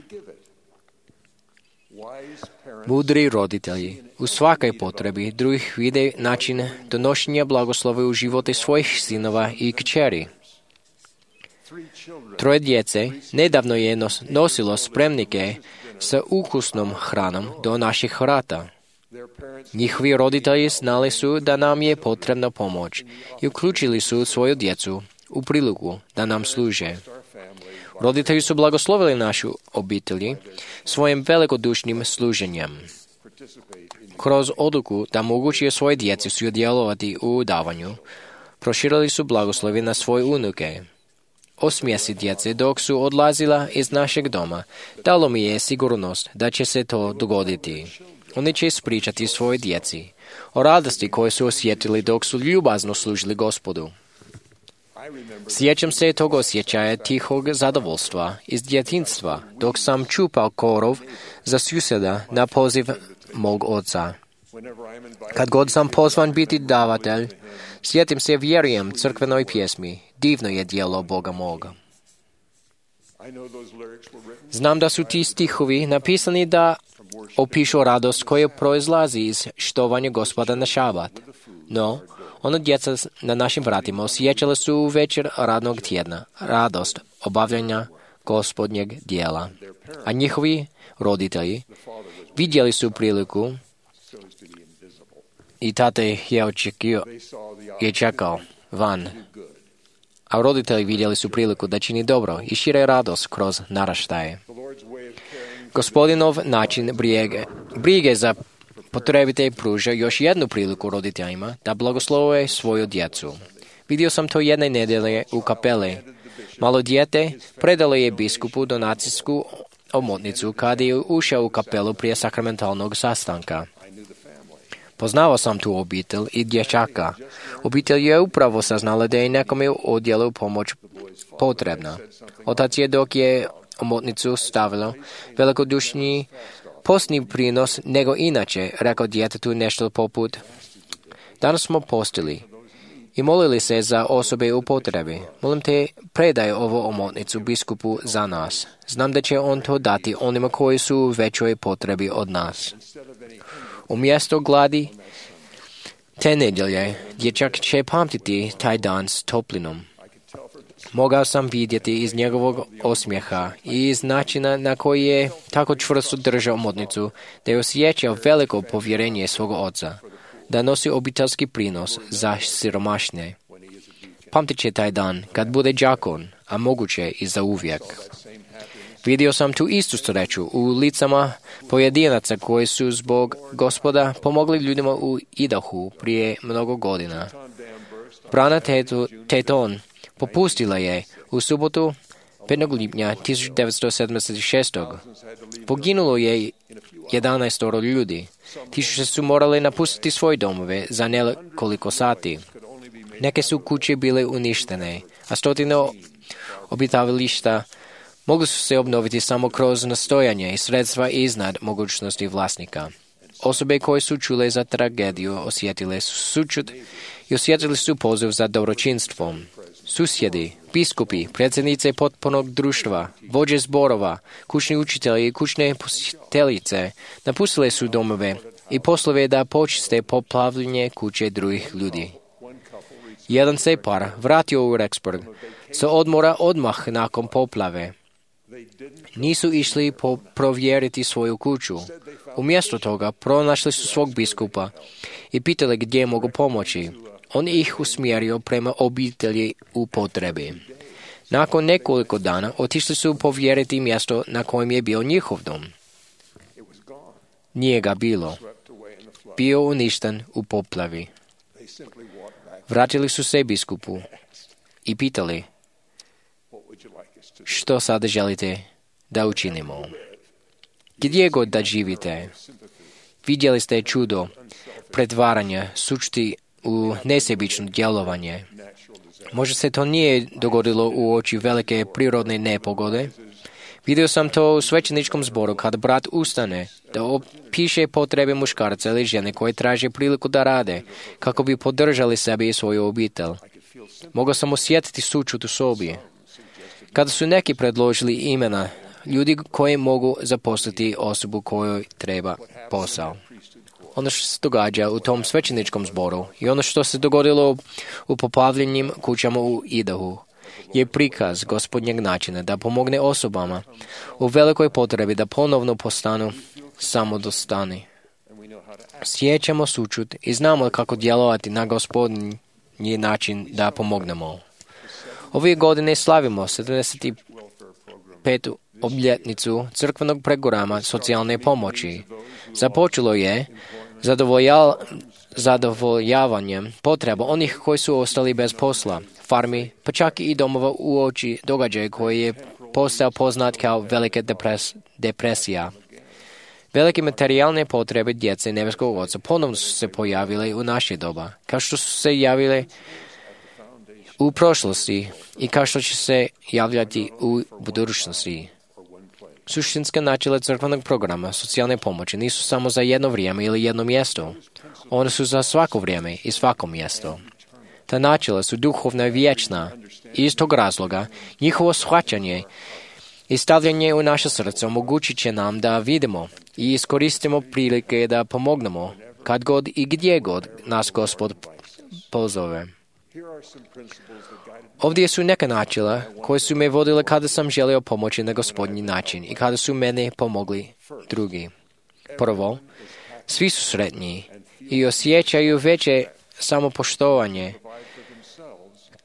Mudri roditelji u svakoj potrebi drugih vide način donošenja blagoslova u živote svojih sinova i kćeri. Troje djece nedavno je nos, nosilo spremnike sa ukusnom hranom do naših vrata. Njihovi roditelji znali su da nam je potrebna pomoć i uključili su svoju djecu u priliku da nam služe. Roditelji su blagoslovili našu obitelji svojim velikodušnim služenjem. Kroz odluku da moguće svoje djeci sudjelovati u davanju, proširili su blagoslovi na svoje unuke. Osmijesi djece dok su odlazila iz našeg doma, dalo mi je sigurnost da će se to dogoditi. Oni će ispričati svojoj djeci o radosti koje su osjetili dok su ljubazno služili Gospodu. Sjećam se tog osjećaja tihog zadovoljstva iz djetinjstva dok sam čupao korov za susjeda na poziv mog oca. Kad god sam pozvan biti davatelj, sjetim se vjerujem crkvenoj pjesmi, divno je djelo Boga moga. Znam da su ti stihovi napisani da opišu radost koja proizlazi iz štovanja Gospoda na šabat. No, ono djeca na našim vratima osjećala su u večer radnog tjedna, radost obavljanja Gospodnjeg dijela. A njihovi roditelji vidjeli su priliku i tata je očekio, je čekao van. A roditelji vidjeli su priliku da čini dobro i šire radost kroz naraštaje. Gospodinov način brige, brige za potrebite pruža još jednu priliku roditeljima da blagoslove svoju djecu. Vidio sam to jedne nedelje u kapeli. Malo dijete predalo je biskupu donacijsku omotnicu kada je ušao u kapelu prije sakramentalnog sastanka. Poznao sam tu obitelj i dječaka. Obitelj je upravo saznala da je nekome u odjelu pomoć potrebna. Otac je dok je omotnicu stavilo velikodušni postni prinos nego inače, rekao djetetu nešto poput: danas smo postili i molili se za osobe u potrebi. Molim te, predaj ovo omotnicu biskupu za nas. Znam da će on to dati onima koji su u većoj potrebi od nas. Umjesto gladi te nedjelje, dječak će pamtiti taj dan s toplinom. Mogao sam vidjeti iz njegovog osmijeha i iz načina na koji je tako čvrsto držao omotnicu da je osjećao veliko povjerenje svog oca, da nosi obiteljski prinos za siromašne. Pamtit će taj dan kad bude đakon, a moguće i za uvijek. Vidio sam tu istu sreću u licama pojedinaca koji su zbog Gospoda pomogli ljudima u Idahu prije mnogo godina. Brana Teton popustila je u subotu petog lipnja tisuću devetsto sedamdeset šestog poginulo je jedanaestoro ljudi. Tisuće su morali napustiti svoje domove za nekoliko sati. Neke su kuće bile uništene, a stotine obitavališta mogli su se obnoviti samo kroz nastojanje i sredstva iznad mogućnosti vlasnika. Osobe koje su čule za tragediju osjetile su sućut i osjetili su poziv za dobročinstvom. Susjedi, biskupi, predsjednice potpunog društva, vođe zborova, kućni učitelji i kućne posjetiteljice napustile su domove i poslove da počiste poplavljenje kuće drugih ljudi. Jedan se par vratio u Rexburg sa odmora odmah nakon poplave. Nisu išli po provjeriti svoju kuću. Umjesto toga pronašli su svog biskupa i pitali gdje mogu pomoći. On ih usmjerio prema obitelji u potrebi. Nakon nekoliko dana otišli su povjeriti mjesto na kojem je bio njihov dom. Nije ga bilo. Bio uništen u poplavi. Vratili su se biskupu i pitali, što sada želite da učinimo? Gdje god da živite, vidjeli ste čudo pretvaranja sućuti u nesebično djelovanje. Možda se to nije dogodilo u oči velike prirodne nepogode. Vidio sam to u svećeničkom zboru kad brat ustane da opiše potrebe muškarca ili žene koje traže priliku da rade kako bi podržali sebe i svoju obitelj. Mogao sam osjetiti sućut u sobi. Kada su neki predložili imena ljudi koji mogu zaposliti osobu kojoj treba posao. Ono što se događa u tom svećeničkom zboru i ono što se dogodilo u poplavljenim kućama u Idahu je prikaz Gospodnjeg načina da pomogne osobama u velikoj potrebi da ponovno postanu samodostani. Sjećamo sućut i znamo kako djelovati na Gospodnji način da pomognemo. Ove godine slavimo sedamdeset petu obljetnicu crkvenog programa socijalne pomoći. Započelo je zadovolja, zadovoljavanjem potreba onih koji su ostali bez posla, farmi, pa čak i domova u oči događaja koji je postao poznat kao velika depres, depresija. Velike materijalne potrebe djece nebeskog Oca ponovno su se pojavile u naše doba, kao što su se javile u prošlosti i kao što će se javljati u budućnosti. Suštinska načela crkvenog programa socijalne pomoći nisu samo za jedno vrijeme ili jedno mjesto. One su za svako vrijeme i svako mjesto. Ta načela su duhovna i vječna. I iz tog razloga njihovo shvaćanje i stavljanje u naše srce omogućit će nam da vidimo i iskoristimo prilike da pomognemo kad god i gdje god nas Gospod pozove. Ovdje su neka načela koje su me vodile kada sam želio pomoći na Gospodnji način i kada su mene pomogli drugi. Prvo, svi su sretni i osjećaju veće samopoštovanje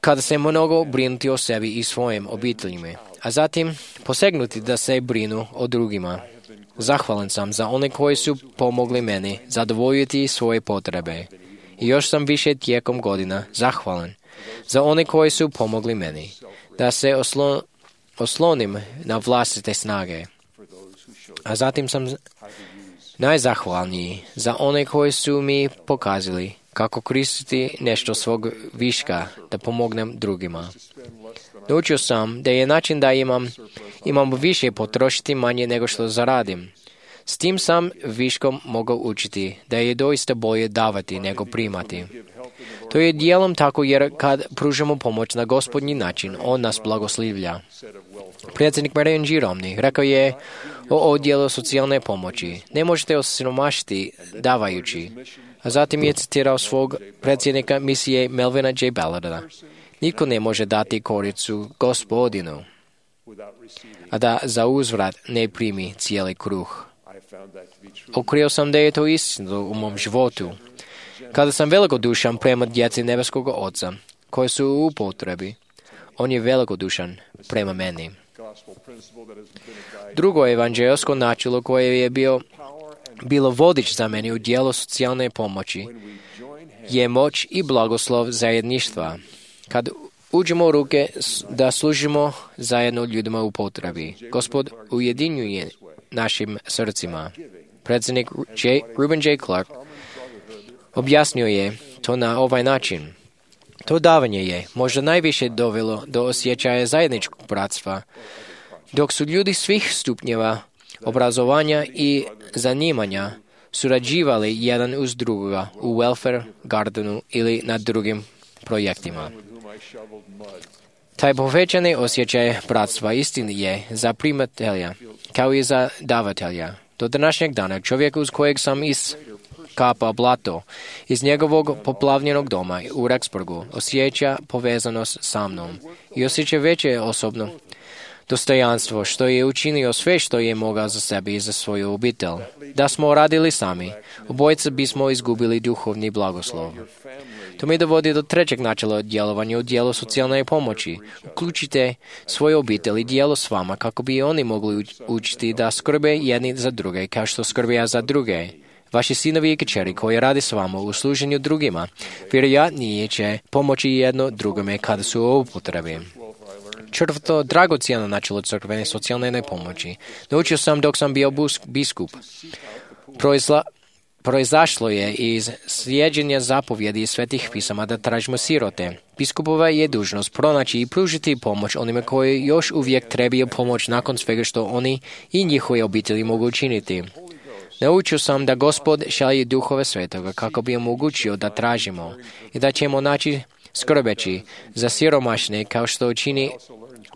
kada se mnogo brinuti o sebi i svojim obiteljima, a zatim posegnuti da se brinu o drugima. Zahvalan sam za one koji su pomogli meni zadovoljiti svoje potrebe. I još sam više tijekom godina zahvalan za one koji su pomogli meni da se oslo, oslonim na vlastite snage. A zatim sam najzahvalniji za one koji su mi pokazali kako koristiti nešto svog viška da pomognem drugima. Naučio sam da je način da imam, imam više potrošiti manje nego što zaradim. S tim sam viškom mogao učiti da je doista bolje davati nego primati. To je dijelom tako jer kad pružamo pomoć na Gospodnji način, On nas blagoslivlja. Predsjednik Marijan G. Romney rekao je o odjelu socijalne pomoći: ne možete osiromašiti davajući. A zatim je citirao svog predsjednika misije Melvina J. Ballarda: nitko ne može dati koricu Gospodinu, a da za uzvrat ne primi cijeli kruh. Otkrio sam da je to istina u mom životu. Kada sam velikodušan prema djeci nebeskog Oca, koji su u potrebi, On je velikodušan prema meni. Drugo evanđelsko načelo koje je bio, bilo vodič za meni u dijelu socijalne pomoći je moć i blagoslov zajedništva. Kad uđemo u ruke da služimo zajedno ljudima u potrebi. Gospod ujedinjuje našim srcima. Predsjednik J. Ruben J. Clark objasnio je to na ovaj način. To davanje je možda najviše dovelo do osjećaja zajedničkog bratstva, dok su ljudi svih stupnjeva obrazovanja i zanimanja surađivali jedan uz drugoga u welfare gardenu ili na drugim projektima. Taj povećani osjećaj bratstva istini je za primatelja, kao i za davatelja. Do današnjeg dana čovjek uz kojeg sam iskapao blato iz njegovog poplavljenog doma u Rexburgu osjeća povezanost sa mnom i osjeća veće osobno dostojanstvo što je učinio sve što je mogao za sebe i za svoju obitelj. Da smo radili sami, obojica bismo izgubili duhovni blagoslov. To mi dovodi do trećeg načela djelovanja u dijelu socijalne pomoći. Uključite svoju obitelj i dijelo s vama kako bi oni mogli učiti da skrbe jedni za druge kao što skrbe ja za druge. Vaši sinovi i kćeri koji radi s vama u služenju drugima vjerojatnije će pomoći jedno drugome kada su u upotrebi. Četvrto, dragocjeno načelo crkvene socijalne pomoći. Naučio sam dok sam bio biskup. Proizla, proizašlo je iz slijeđenja zapovjedi i svetih pisama da tražimo sirote. Biskupova je dužnost pronaći i pružiti pomoć onima koji još uvijek trebaju pomoć nakon svega što oni i njihove obitelji mogu učiniti. Naučio sam da Gospod šalje duhove svetoga kako bi omogućio da tražimo i da ćemo naći skrbeći za siromašne kao što učini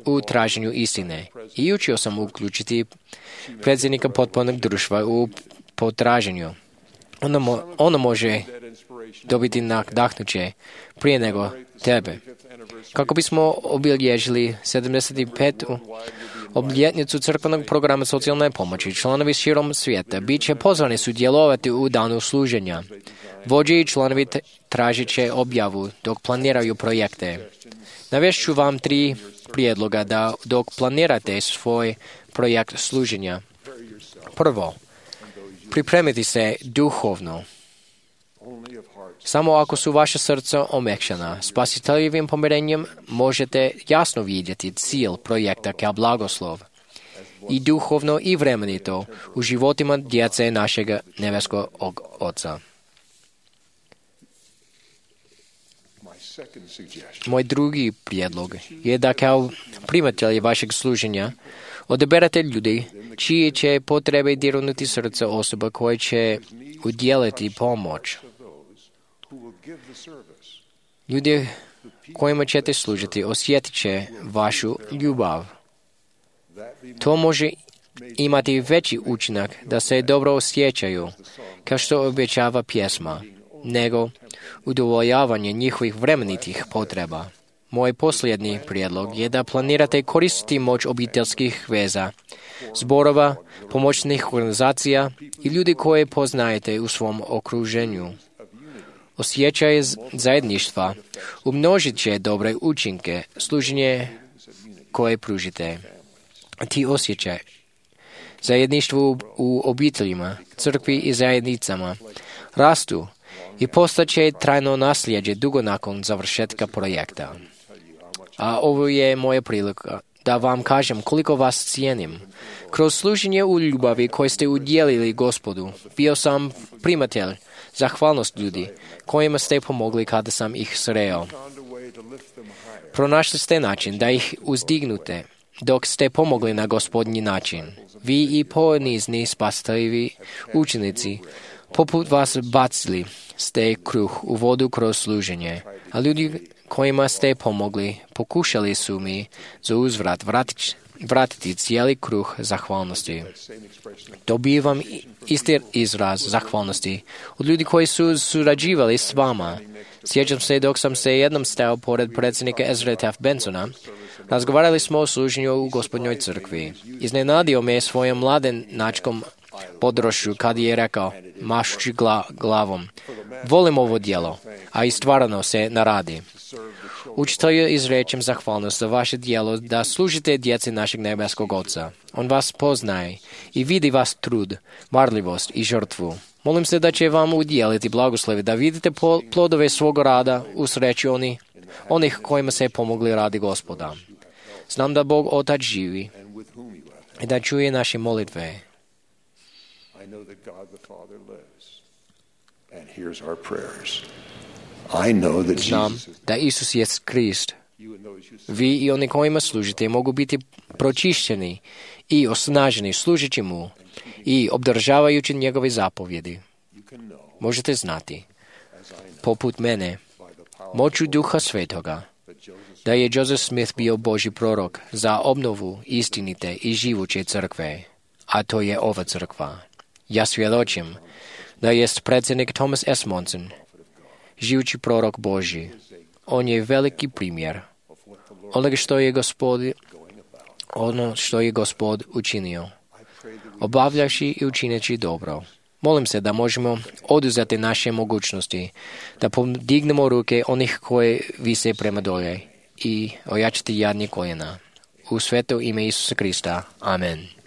u traženju istine. I učio sam uključiti predsjednika potpornog društva u potraženju. Ono, mo, ono može dobiti nadahnuće prije nego tebe. Kako bismo obilježili sedamdeset petu obljetnicu crkvenog programa socijalne pomoći, članovi širom svijeta bit će pozvani sudjelovati u danu služenja. Vođe i članovi tražit će objavu dok planiraju projekte. Navešću vam tri prijedloga da dok planirate svoj projekt služenja. Prvo, pripremiti se duhovno. Samo ako su vaše srca omekšana, spasiteljevim pomirenjem možete jasno vidjeti cilj projekta kao blagoslov i duhovno i vremenito u životima djece našeg nebeskog Oca. Moj drugi prijedlog je da kao primatelji vašeg služenja odaberete ljudi čije će potrebe dirnuti srce osoba koje će udjeliti pomoć. Ljudi kojima ćete služiti osjetit će vašu ljubav. To može imati veći učinak da se dobro osjećaju, kao što obećava pjesma, nego udovoljavanje njihovih vremenitih potreba. Moj posljednji prijedlog je da planirate koristiti moć obiteljskih veza, zborova, pomoćnih organizacija i ljudi koje poznajete u svom okruženju. Osjećaj zajedništva umnožit će dobre učinke služenje koje pružite. Ti osjećaj zajedništvu u obiteljima, crkvi i zajednicama rastu i postaće trajno nasljeđe dugo nakon završetka projekta. A ovo je moja prilika da vam kažem koliko vas cijenim. Kroz služenje u ljubavi koje ste udjelili Gospodu, bio sam primatelj zahvalnost ljudi kojima ste pomogli kada sam ih sreo. Pronašli ste način da ih uzdignute dok ste pomogli na Gospodnji način. Vi i ponizni spasiteljivi učenici poput vas bacili ste kruh u vodu kroz služenje, a ljudi kojima ste pomogli pokušali su mi za uzvrat vratiti, vratiti cijeli kruh zahvalnosti. Dobivam isti izraz zahvalnosti od ljudi koji su surađivali s vama. Sjećam se dok sam se jednom stao pored predsjednika Ezra Taft Bensona, razgovarali smo o služenju u Gospodnjoj crkvi. Iznenadio me svojom mladenačkom podrošću kad je rekao, mašući gla, glavom, volim ovo djelo, a i stvarno se naradi. Učitelju izrečem zahvalnost za vaše djelo da služite djeci našeg nebeskog Oca. On vas poznaje i vidi vas trud, marljivost i žrtvu. Molim se da će vam udjeliti blagoslovi da vidite plodove svog rada u sreći oni onih kojima se pomogli radi Gospoda. Znam da Bog Otac živi i da čuje naše molitve. Znam da Isus je Krist. Vi i oni kojima služite mogu biti pročišćeni i osnaženi služeći mu i obdržavajući njegove zapovjedi. Možete znati, poput mene, moću Duha Svetoga, da je Joseph Smith bio Božji prorok za obnovu istinite i živuće crkve, a to je ova crkva. Ja svjedočim da jest predsjednik Thomas S. Monson, živući prorok Božji. On je veliki primjer onoga što je Gospod, ono što je Gospod učinio, obavljaši i učineći dobro. Molim se da možemo oduzeti naše mogućnosti, da podignemo ruke onih koje vise prema dolje i ojačati jadnje koljena. U sveto ime Isusa Krista. Amen.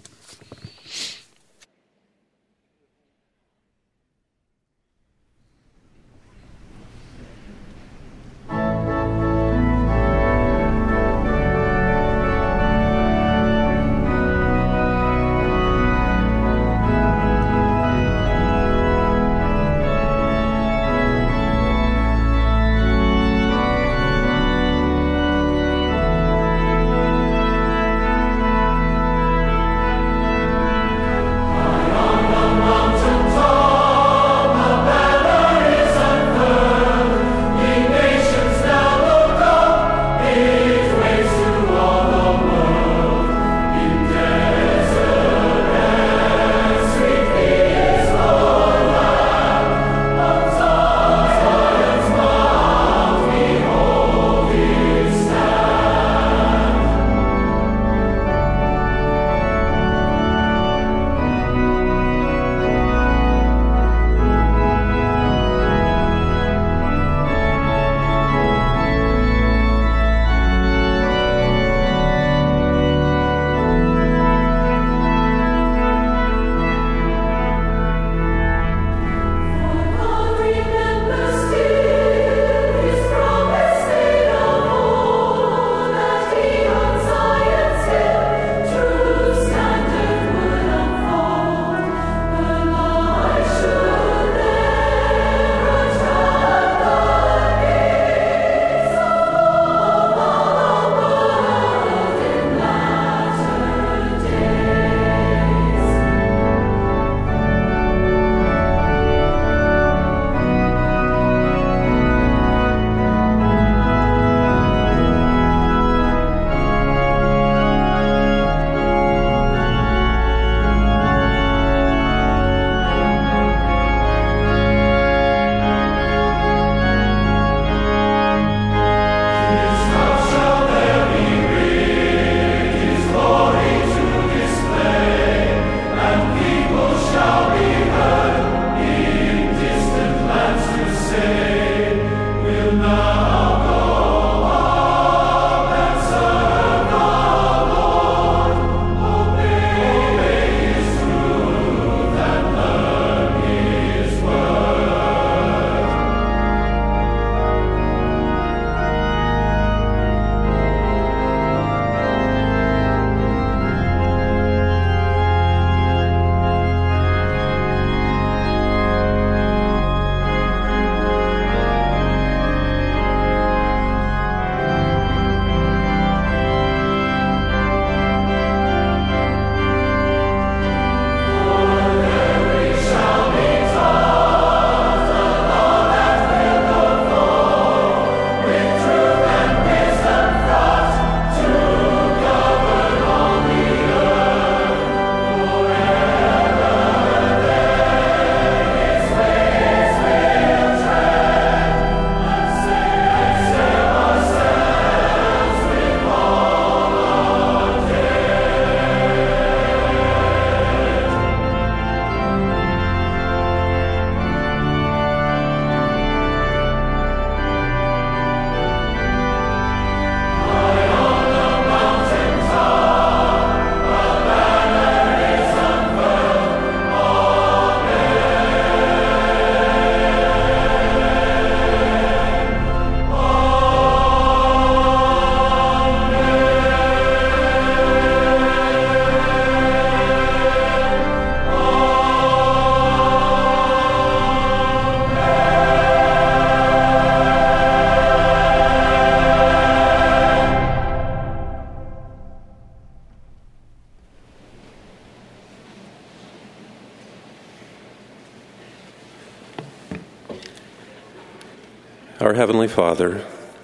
Our Heavenly Father,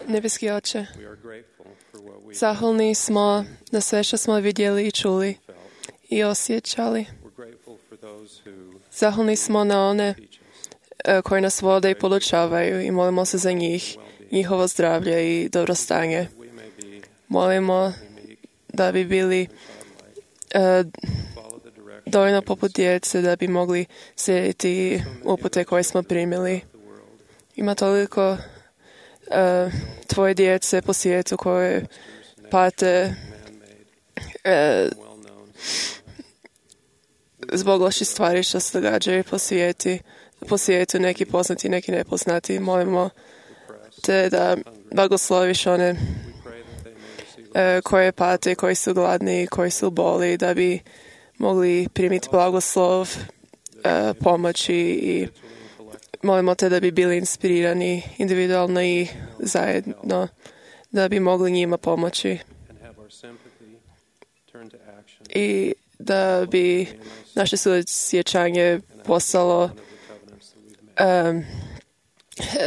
Nebeski Oče, zahvalni smo na sve što smo vidjeli i čuli i osjećali. Zahvalni smo na one koji nas vode i podučavaju i molimo se za njih, njihovo zdravlje i dobrostanje. Molimo da bi bili uh, dovoljno poput djece da bi mogli slijediti upute koje smo primili. Ima toliko uh, tvoje djece po svijetu koje pate uh, zbog loših stvari što se događaju po svijetu, po svijetu, neki poznati, neki nepoznati. Molimo te da blagosloviš one uh, koje pate, koji su gladni, koji su boli, da bi mogli primiti blagoslov, uh, pomoći i molimo te da bi bili inspirirani individualno i zajedno, da bi mogli njima pomoći i da bi naše suosjećanje postalo um,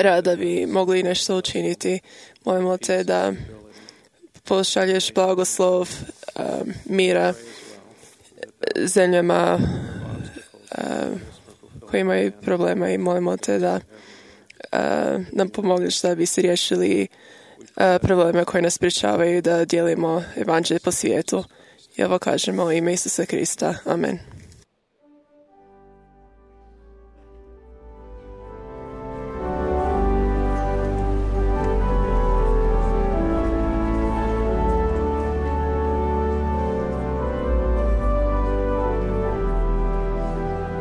rad da bi mogli nešto učiniti. Molimo te da pošalješ blagoslov um, mira zemljama um, koji imaju problema i molimo te da uh, nam pomogneš da bi se riješili uh, probleme koje nas sprječavaju da dijelimo evanđelje po svijetu. I ovo kažemo u ime Isusa Krista. Amen.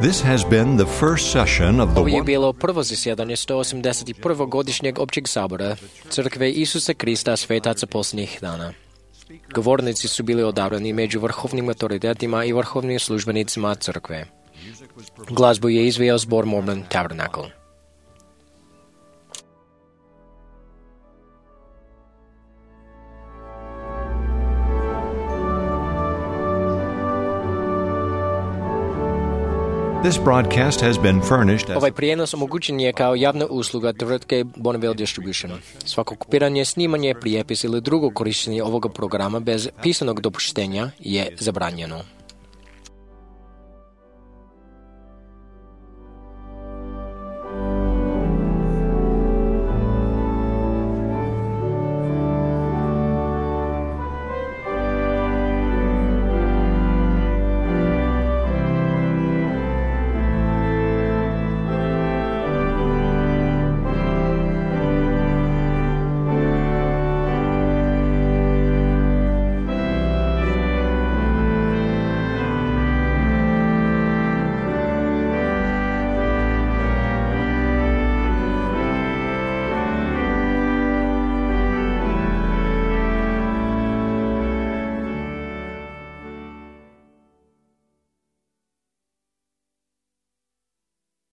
This has been the first session of the Ovo je bilo prvo zasjedanje sto osamdeset prvog godišnjeg općeg sabora Crkve Isusa Krista svetaca posljednjih dana. Govornici su bili odabrani među vrhovnim autoritetima i vrhovnim službenicima crkve. Glazbu je izveo zbor Mormon Tabernacle. This broadcast has been furnished as Ovaj prijenos omogućen je kao javna usluga tvrtke Bonneville Distribution. Svako kopiranje, snimanje, prijepis ili drugo korištenje ovoga programa bez pisanog dopuštenja je zabranjeno.